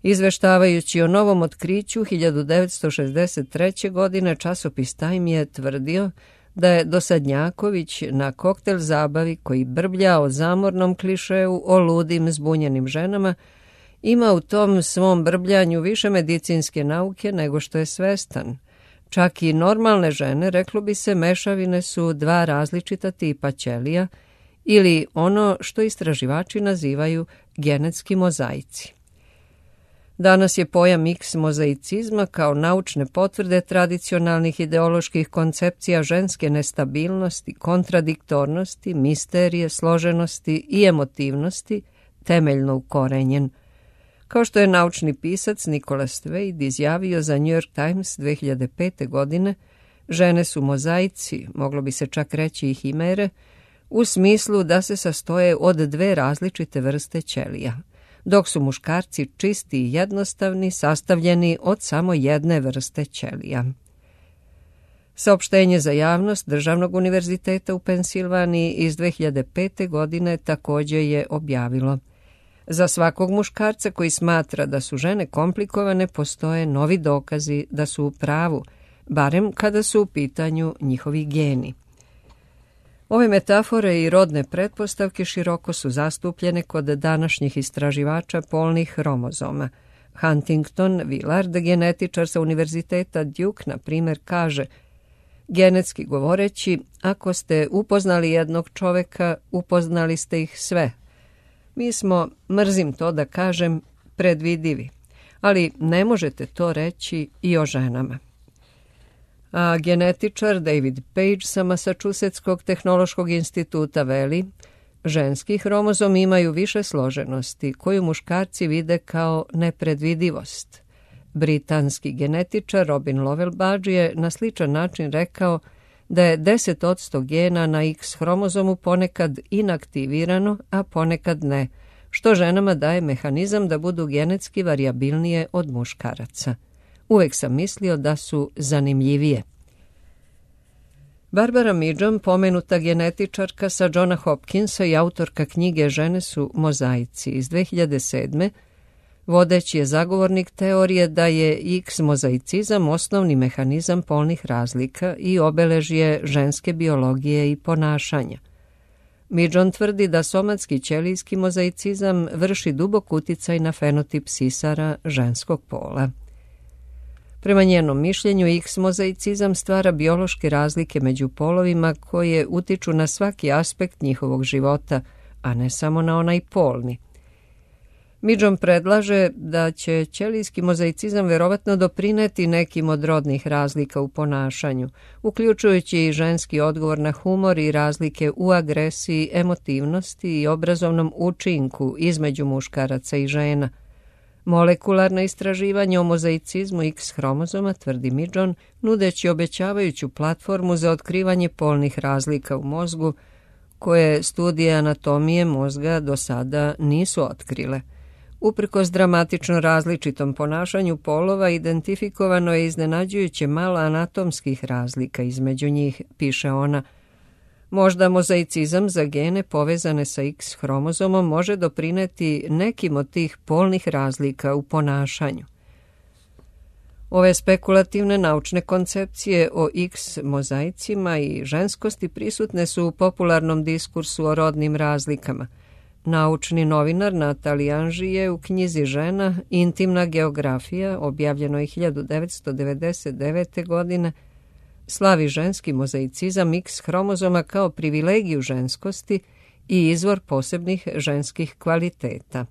Izveštavajući o novom otkriću hiljadu devetsto šezdeset treće. godine, časopis Time je tvrdio da je Dosadnjaković na koktel zabavi koji brblja o zamornom klišeu o ludim zbunjenim ženama ima u tom svom brbljanju više medicinske nauke nego što je svestan. Čak i normalne žene, reklo bi se, mešavine su dva različita tipa ćelija ili ono što istraživači nazivaju genetski mozaici. Danas je pojam X mozaicizma kao naučne potvrde tradicionalnih ideoloških koncepcija ženske nestabilnosti, kontradiktornosti, misterije, složenosti i emotivnosti temeljno ukorenjen. Kao što je naučni pisac Nicholas Wade izjavio za New York Times dve hiljade pete. godine, žene su mozaici, moglo bi se čak reći i himere, u smislu da se sastoje od dve različite vrste ćelija, dok su muškarci čisti i jednostavni, sastavljeni od samo jedne vrste ćelija. Saopštenje za javnost Državnog univerziteta u Pensilvaniji iz dve hiljade pete. godine također je objavilo: za svakog muškarca koji smatra da su žene komplikovane postoje novi dokazi da su u pravu, barem kada su u pitanju njihovi geni. Ove metafore i rodne pretpostavke široko su zastupljene kod današnjih istraživača polnih hromozoma. Huntington Willard, genetičar sa univerziteta Duke, na primjer, kaže: genetski govoreći, ako ste upoznali jednog čoveka, upoznali ste ih sve. Mi smo, mrzim to da kažem, predvidivi, ali ne možete to reći i o ženama. A genetičar David Page sa Massachusettskog tehnološkog instituta veli: ženski hromozomi imaju više složenosti koju muškarci vide kao nepredvidivost. Britanski genetičar Robin Lovell Budge je na sličan način rekao da je deset posto gena na X hromozomu ponekad inaktivirano, a ponekad ne, što ženama daje mehanizam da budu genetski varijabilnije od muškaraca. Uvek sam mislio da su zanimljivije. Barbara Midžom, pomenuta genetičarka sa Johna Hopkinsa i autorka knjige Žene su mozaici iz dve hiljade sedme, vodeći je zagovornik teorije da je X mozaicizam osnovni mehanizam polnih razlika i obeležje ženske biologije i ponašanja. Midžom tvrdi da somatski ćelijski mozaicizam vrši dubok uticaj na fenotip sisara ženskog pola. Prema njenom mišljenju, X mozaicizam stvara biološke razlike među polovima koje utiču na svaki aspekt njihovog života, a ne samo na onaj polni. Midžom predlaže da će ćelijski mozaicizam verovatno doprineti nekim od rodnih razlika u ponašanju, uključujući i ženski odgovor na humor i razlike u agresiji, emotivnosti i obrazovnom učinku između muškaraca i žena. Molekularna istraživanja o mozaicizmu X hromozoma, tvrdi Midžom, nudeći obećavajuću platformu za otkrivanje polnih razlika u mozgu, koje studije anatomije mozga do sada nisu otkrile. Uprkos dramatično različitom ponašanju polova, identifikovano je iznenađujuće malo anatomskih razlika između njih, piše ona. Možda mozaicizam za gene povezane sa X hromozomom može doprineti nekim od tih polnih razlika u ponašanju. Ove spekulativne naučne koncepcije o X mozaicima i ženskosti prisutne su u popularnom diskursu o rodnim razlikama. Naučni novinar Natali Anži je u knjizi Žena, intimna geografija, objavljenoj hiljadu devetsto devedeset devete. godine, slavi ženski mozaicizam X hromozoma kao privilegiju ženskosti i izvor posebnih ženskih kvaliteta.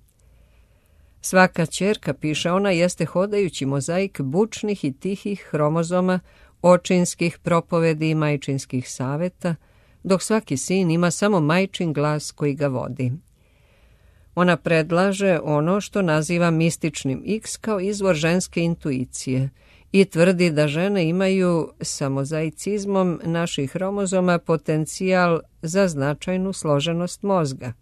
Svaka ćerka, piše ona, jeste hodajući mozaik bučnih i tihih hromozoma, očinskih propovedi i majčinskih saveta, dok svaki sin ima samo majčin glas koji ga vodi. Ona predlaže ono što naziva mističnim X kao izvor ženske intuicije i tvrdi da žene imaju sa mozaicizmom naših hromozoma potencijal za značajnu složenost mozga.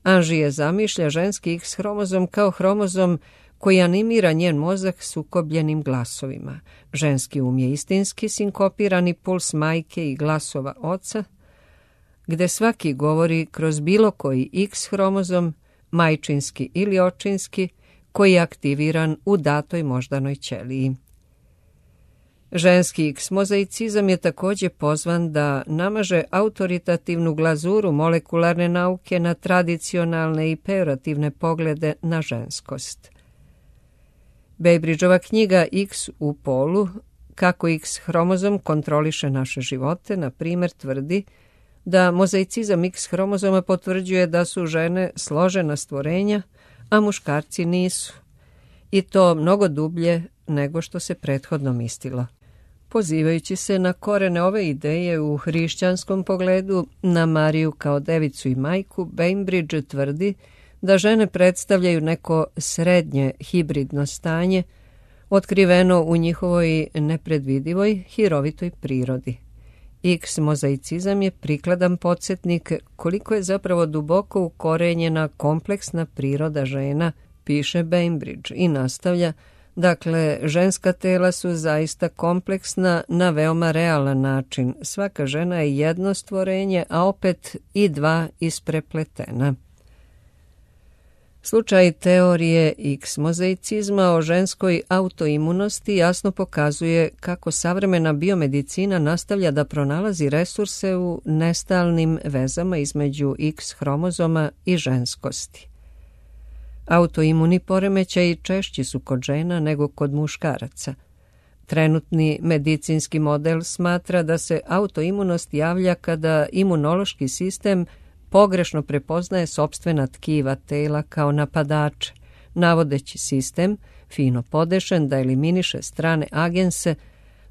Anži je zamišlja ženski X hromozom kao hromozom koji animira njen mozak sukobljenim glasovima. Ženski um je istinski sinkopirani puls majke i glasova oca, gde svaki govori kroz bilo koji X hromozom, majčinski ili očinski, koji je aktiviran u datoj moždanoj ćeliji. Ženski X mozaicizam je također pozvan da namaže autoritativnu glazuru molekularne nauke na tradicionalne i pejorativne poglede na ženskost. Bainbridgeova knjiga X u polu, kako X hromozom kontroliše naše živote, na primjer tvrdi da mozaicizam X hromozoma potvrđuje da su žene složena stvorenja, a muškarci nisu. I to mnogo dublje nego što se prethodno mislilo. Pozivajući se na korene ove ideje u hrišćanskom pogledu, na Mariju kao devicu i majku, Bainbridge tvrdi da žene predstavljaju neko srednje hibridno stanje, otkriveno u njihovoj nepredvidivoj, hirovitoj prirodi. X mozaicizam je prikladan podsjetnik koliko je zapravo duboko ukorenjena kompleksna priroda žena, piše Bainbridge i nastavlja, dakle, ženska tela su zaista kompleksna na veoma realan način. Svaka žena je jedno stvorenje, a opet i dva isprepletena. Slučaj teorije X mozaicizma o ženskoj autoimunosti jasno pokazuje kako savremena biomedicina nastavlja da pronalazi resurse u nestalnim vezama između X hromozoma i ženskosti. Autoimuni poremećaji češći su kod žena nego kod muškaraca. Trenutni medicinski model smatra da se autoimunost javlja kada imunološki sistem pogrešno prepoznaje sopstvena tkiva tela kao napadače, navodeći sistem, fino podešen, da eliminiše strane agense,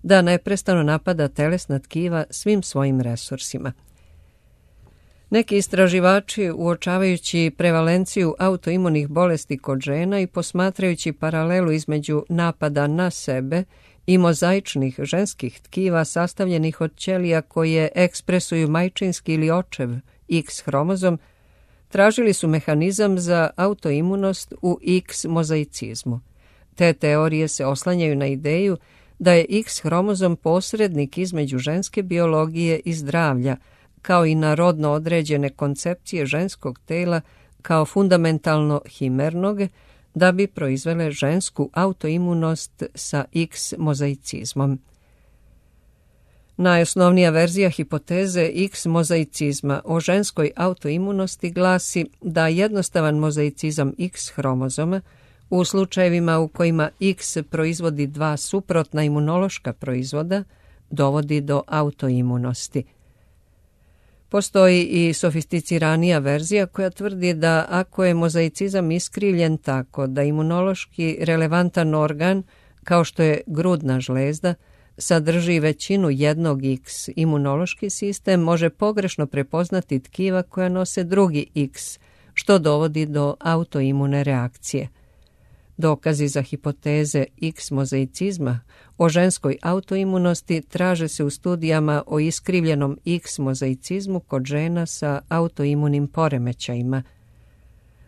da neprestano napada telesna tkiva svim svojim resursima. Neki istraživači, uočavajući prevalenciju autoimunih bolesti kod žena i posmatrajući paralelu između napada na sebe i mozaičnih ženskih tkiva sastavljenih od ćelija koje ekspresuju majčinski ili očev X hromozom, tražili su mehanizam za autoimunost u X mozaicizmu. Te teorije se oslanjaju na ideju da je X hromozom posrednik između ženske biologije i zdravlja, kao i na rodno određene koncepcije ženskog tela kao fundamentalno himernog, da bi proizvele žensku autoimunost sa X mozaicizmom. Najosnovnija verzija hipoteze X mozaicizma o ženskoj autoimunosti glasi da jednostavan mozaicizam X hromozoma u slučajevima u kojima X proizvodi dva suprotna imunološka proizvoda dovodi do autoimunosti. Postoji i sofisticiranija verzija koja tvrdi da ako je mozaicizam iskrivljen tako da imunološki relevantan organ, kao što je grudna žlezda, sadrži većinu jednog X, imunološki sistem može pogrešno prepoznati tkiva koja nose drugi X, što dovodi do autoimune reakcije. Dokazi za hipoteze X mozaicizma o ženskoj autoimunosti traže se u studijama o iskrivljenom X mozaicizmu kod žena sa autoimunim poremećajima.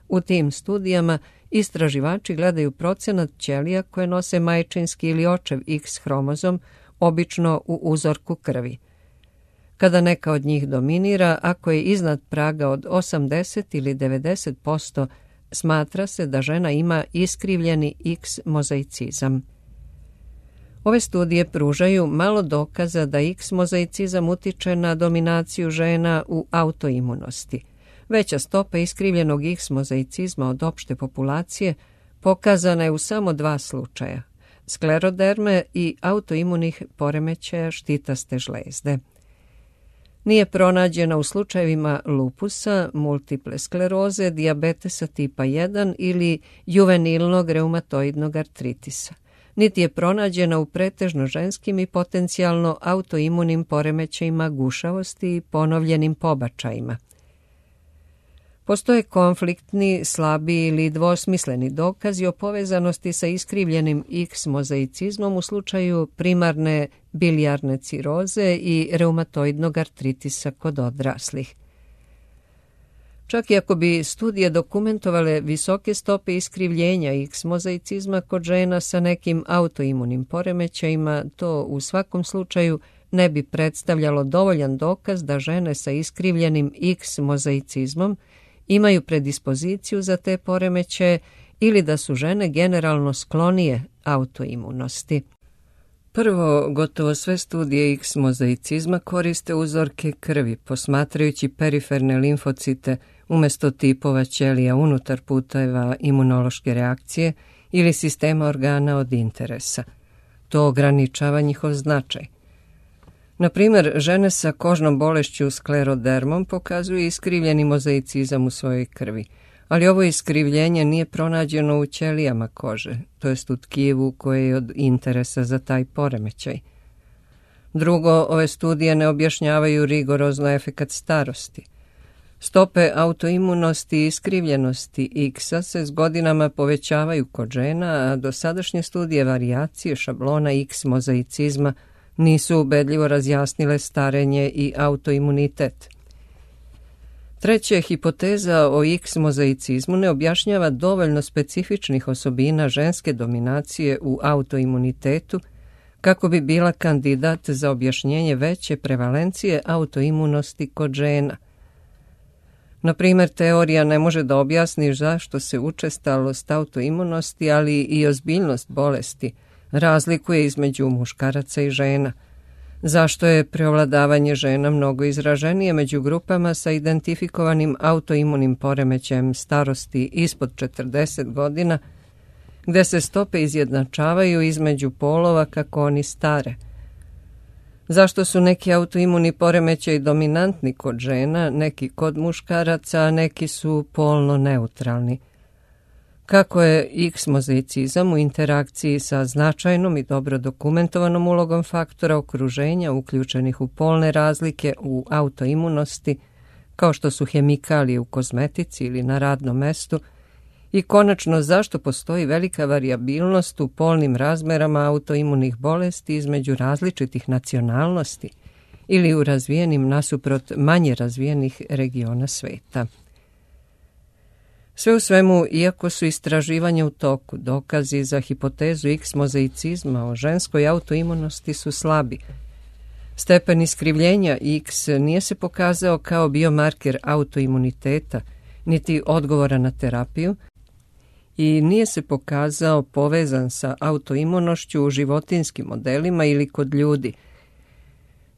U tim studijama istraživači gledaju procenat ćelija koje nose majčinski ili očev X hromozom, obično u uzorku krvi. Kada neka od njih dominira, ako je iznad praga od osamdeset ili devedeset posto, smatra se da žena ima iskrivljeni X mozaicizam. Ove studije pružaju malo dokaza da X mozaicizam utiče na dominaciju žena u autoimunosti. Veća stopa iskrivljenog X mozaicizma od opšte populacije pokazana je u samo dva slučaja, skleroderme i autoimunih poremećaja štitaste žlezde. Nije pronađena u slučajevima lupusa, multiple skleroze, dijabetesa tipa jedan ili juvenilnog reumatoidnog artritisa. Niti je pronađena u pretežno ženskim i potencijalno autoimunim poremećajima gušavosti i ponovljenim pobačajima. Postoje konfliktni, slabi ili dvosmisleni dokazi o povezanosti sa iskrivljenim X mozaicizmom u slučaju primarne bilijarne ciroze i reumatoidnog artritisa kod odraslih. Čak i ako bi studije dokumentovale visoke stope iskrivljenja X mozaicizma kod žena sa nekim autoimunim poremećajima, to u svakom slučaju ne bi predstavljalo dovoljan dokaz da žene sa iskrivljenim X mozaicizmom imaju predispoziciju za te poremećaje ili da su žene generalno sklonije autoimunosti. Prvo, gotovo sve studije X mozaicizma koriste uzorke krvi, posmatrajući periferne limfocite umjesto tipova ćelija unutar puteva imunološke reakcije ili sistema organa od interesa. To ograničava njihov značaj. Na primjer, žene sa kožnom bolešću sklerodermom pokazuju iskrivljeni mozaicizam u svojoj krvi, ali ovo iskrivljenje nije pronađeno u ćelijama kože, to jest u tkivu koje je od interesa za taj poremećaj. Drugo, ove studije ne objašnjavaju rigorozno efekat starosti. Stope autoimunosti i iskrivljenosti X-a se s godinama povećavaju kod žena, a dosadašnje studije varijacije šablona X mozaicizma nisu ubedljivo razjasnile starenje i autoimunitet. Treće, hipoteza o X mozaicizmu ne objašnjava dovoljno specifičnih osobina ženske dominacije u autoimunitetu kako bi bila kandidat za objašnjenje veće prevalencije autoimunosti kod žena. Na primjer, teorija ne može da objasni zašto se učestalost autoimunosti, ali i ozbiljnost bolesti razlikuje između muškaraca i žena. Zašto je preovladavanje žena mnogo izraženije među grupama sa identifikovanim autoimunim poremećajem starosti ispod četrdeset godina, gde se stope izjednačavaju između polova kako oni stare? Zašto su neki autoimuni poremećaji dominantni kod žena, neki kod muškaraca, a neki su polno neutralni? Kako je X mozaicizam u interakciji sa značajnom i dobro dokumentovanom ulogom faktora okruženja uključenih u polne razlike u autoimunosti, kao što su hemikalije u kozmetici ili na radnom mestu, i konačno zašto postoji velika varijabilnost u polnim razmerama autoimunih bolesti između različitih nacionalnosti ili u razvijenim nasuprot manje razvijenih regiona sveta. Sve u svemu, iako su istraživanja u toku, dokazi za hipotezu X mozaicizma o ženskoj autoimunosti su slabi. Stepen iskrivljenja X nije se pokazao kao biomarker autoimuniteta, niti odgovora na terapiju, i nije se pokazao povezan sa autoimunošću u životinjskim modelima ili kod ljudi.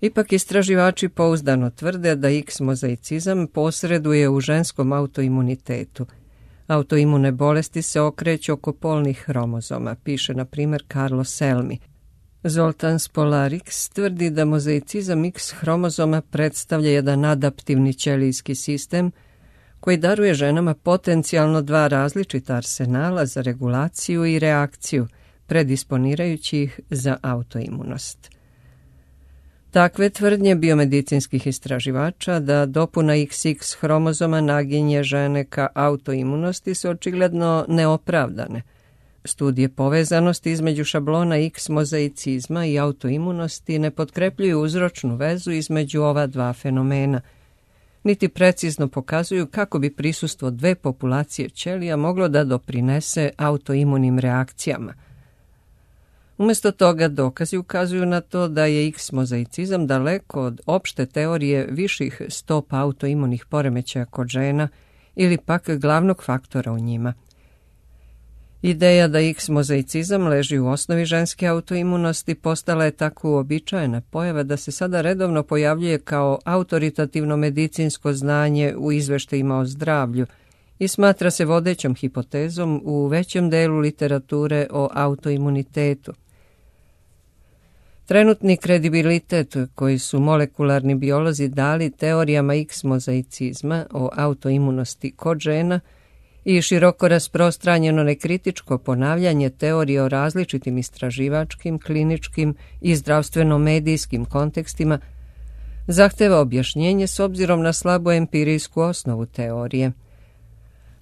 Ipak istraživači pouzdano tvrde da X mozaicizam posreduje u ženskom autoimunitetu. Autoimune bolesti se okreću oko polnih hromozoma, piše na primjer Carlo Selmi. Zoltan Spolarix tvrdi da mozaicizam X hromozoma predstavlja jedan adaptivni ćelijski sistem koji daruje ženama potencijalno dva različita arsenala za regulaciju i reakciju, predisponirajući ih za autoimunost. Takve tvrdnje biomedicinskih istraživača da dopuna iks iks hromozoma naginje žene ka autoimunosti su očigledno neopravdane. Studije povezanosti između šablona X mozaicizma i autoimunosti ne potkrepljuju uzročnu vezu između ova dva fenomena, niti precizno pokazuju kako bi prisustvo dve populacije ćelija moglo da doprinese autoimunim reakcijama. Umjesto toga dokazi ukazuju na to da je X mozaicizam daleko od opšte teorije viših stopa autoimunih poremećaja kod žena ili pak glavnog faktora u njima. Ideja da X mozaicizam leži u osnovi ženske autoimunosti postala je tako uobičajena pojava da se sada redovno pojavljuje kao autoritativno medicinsko znanje u izveštajima o zdravlju i smatra se vodećom hipotezom u većem delu literature o autoimunitetu. Trenutni kredibilitet koji su molekularni biolozi dali teorijama X mozaicizma o autoimunosti kod žena i široko rasprostranjeno nekritičko ponavljanje teorije o različitim istraživačkim, kliničkim i zdravstveno-medijskim kontekstima zahteva objašnjenje s obzirom na slabu empirijsku osnovu teorije.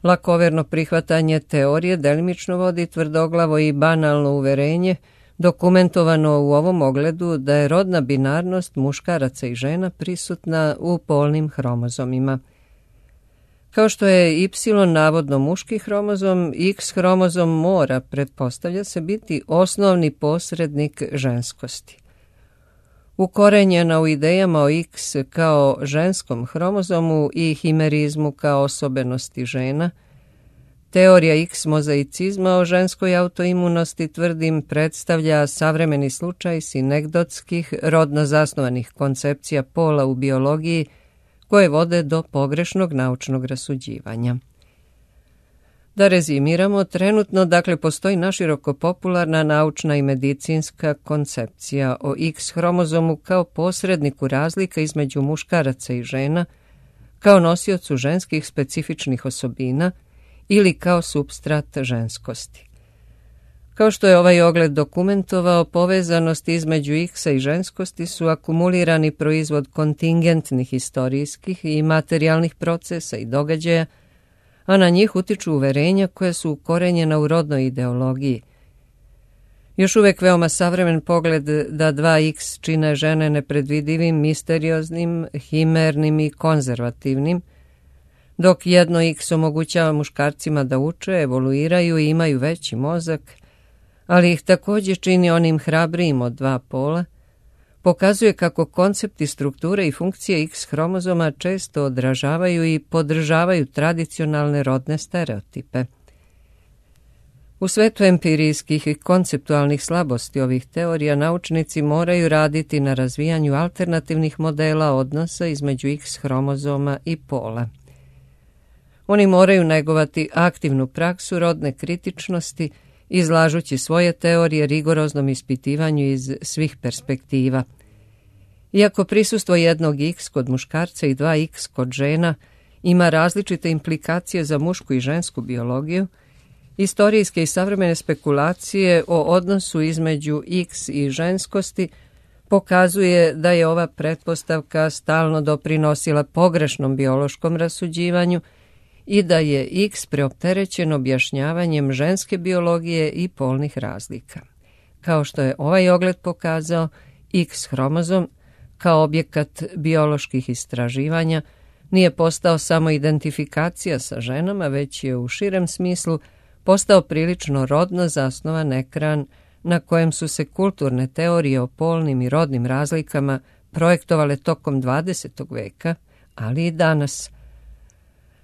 Lakoverno prihvatanje teorije delimično vodi tvrdoglavo i banalno uverenje, dokumentovano u ovom ogledu da je rodna binarnost muškaraca i žena prisutna u polnim hromozomima. Kao što je Y navodno muški hromozom, X hromozom mora, pretpostavlja se, biti osnovni posrednik ženskosti. Ukorenjena u idejama o X kao ženskom hromozomu i himerizmu kao osobenosti žena, teorija X mozaicizma o ženskoj autoimunosti, tvrdim, predstavlja savremeni slučaj sinegdotskih, rodno zasnovanih koncepcija pola u biologiji koje vode do pogrešnog naučnog rasuđivanja. Da rezimiramo, trenutno dakle postoji naširoko popularna naučna i medicinska koncepcija o X hromozomu kao posredniku razlika između muškaraca i žena, kao nosiocu ženskih specifičnih osobina ili kao supstrat ženskosti. Kao što je ovaj ogled dokumentovao, povezanosti između X-a i ženskosti su akumulirani proizvod kontingentnih historijskih i materijalnih procesa i događaja, a na njih utiču uverenja koja su ukorenjena u rodnoj ideologiji. Još uvek veoma savremen pogled da dva X čine žene nepredvidivim, misterioznim, himernim i konzervativnim, dok jedno X omogućava muškarcima da uče, evoluiraju i imaju veći mozak, ali ih također čini onim hrabrijim od dva pola, pokazuje kako koncepti strukture i funkcije X hromozoma često odražavaju i podržavaju tradicionalne rodne stereotipe. U svetu empirijskih i konceptualnih slabosti ovih teorija naučnici moraju raditi na razvijanju alternativnih modela odnosa između X hromozoma i pola. Oni moraju negovati aktivnu praksu rodne kritičnosti, izlažući svoje teorije rigoroznom ispitivanju iz svih perspektiva. Iako prisustvo jednog X kod muškarca i dva X kod žena ima različite implikacije za mušku i žensku biologiju, istorijske i savremene spekulacije o odnosu između X i ženskosti pokazuje da je ova pretpostavka stalno doprinosila pogrešnom biološkom rasuđivanju i da je X preopterećen objašnjavanjem ženske biologije i polnih razlika. Kao što je ovaj ogled pokazao, X hromozom kao objekat bioloških istraživanja nije postao samo identifikacija sa ženama, već je u širem smislu postao prilično rodno zasnovan ekran na kojem su se kulturne teorije o polnim i rodnim razlikama projektovale tokom dvadesetog veka, ali i danas.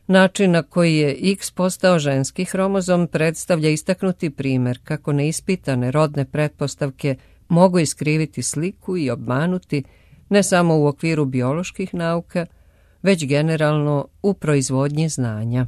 Način na koji je X postao ženski hromozom predstavlja istaknuti primjer kako neispitane rodne pretpostavke mogu iskriviti sliku i obmanuti ne samo u okviru bioloških nauka, već generalno u proizvodnji znanja.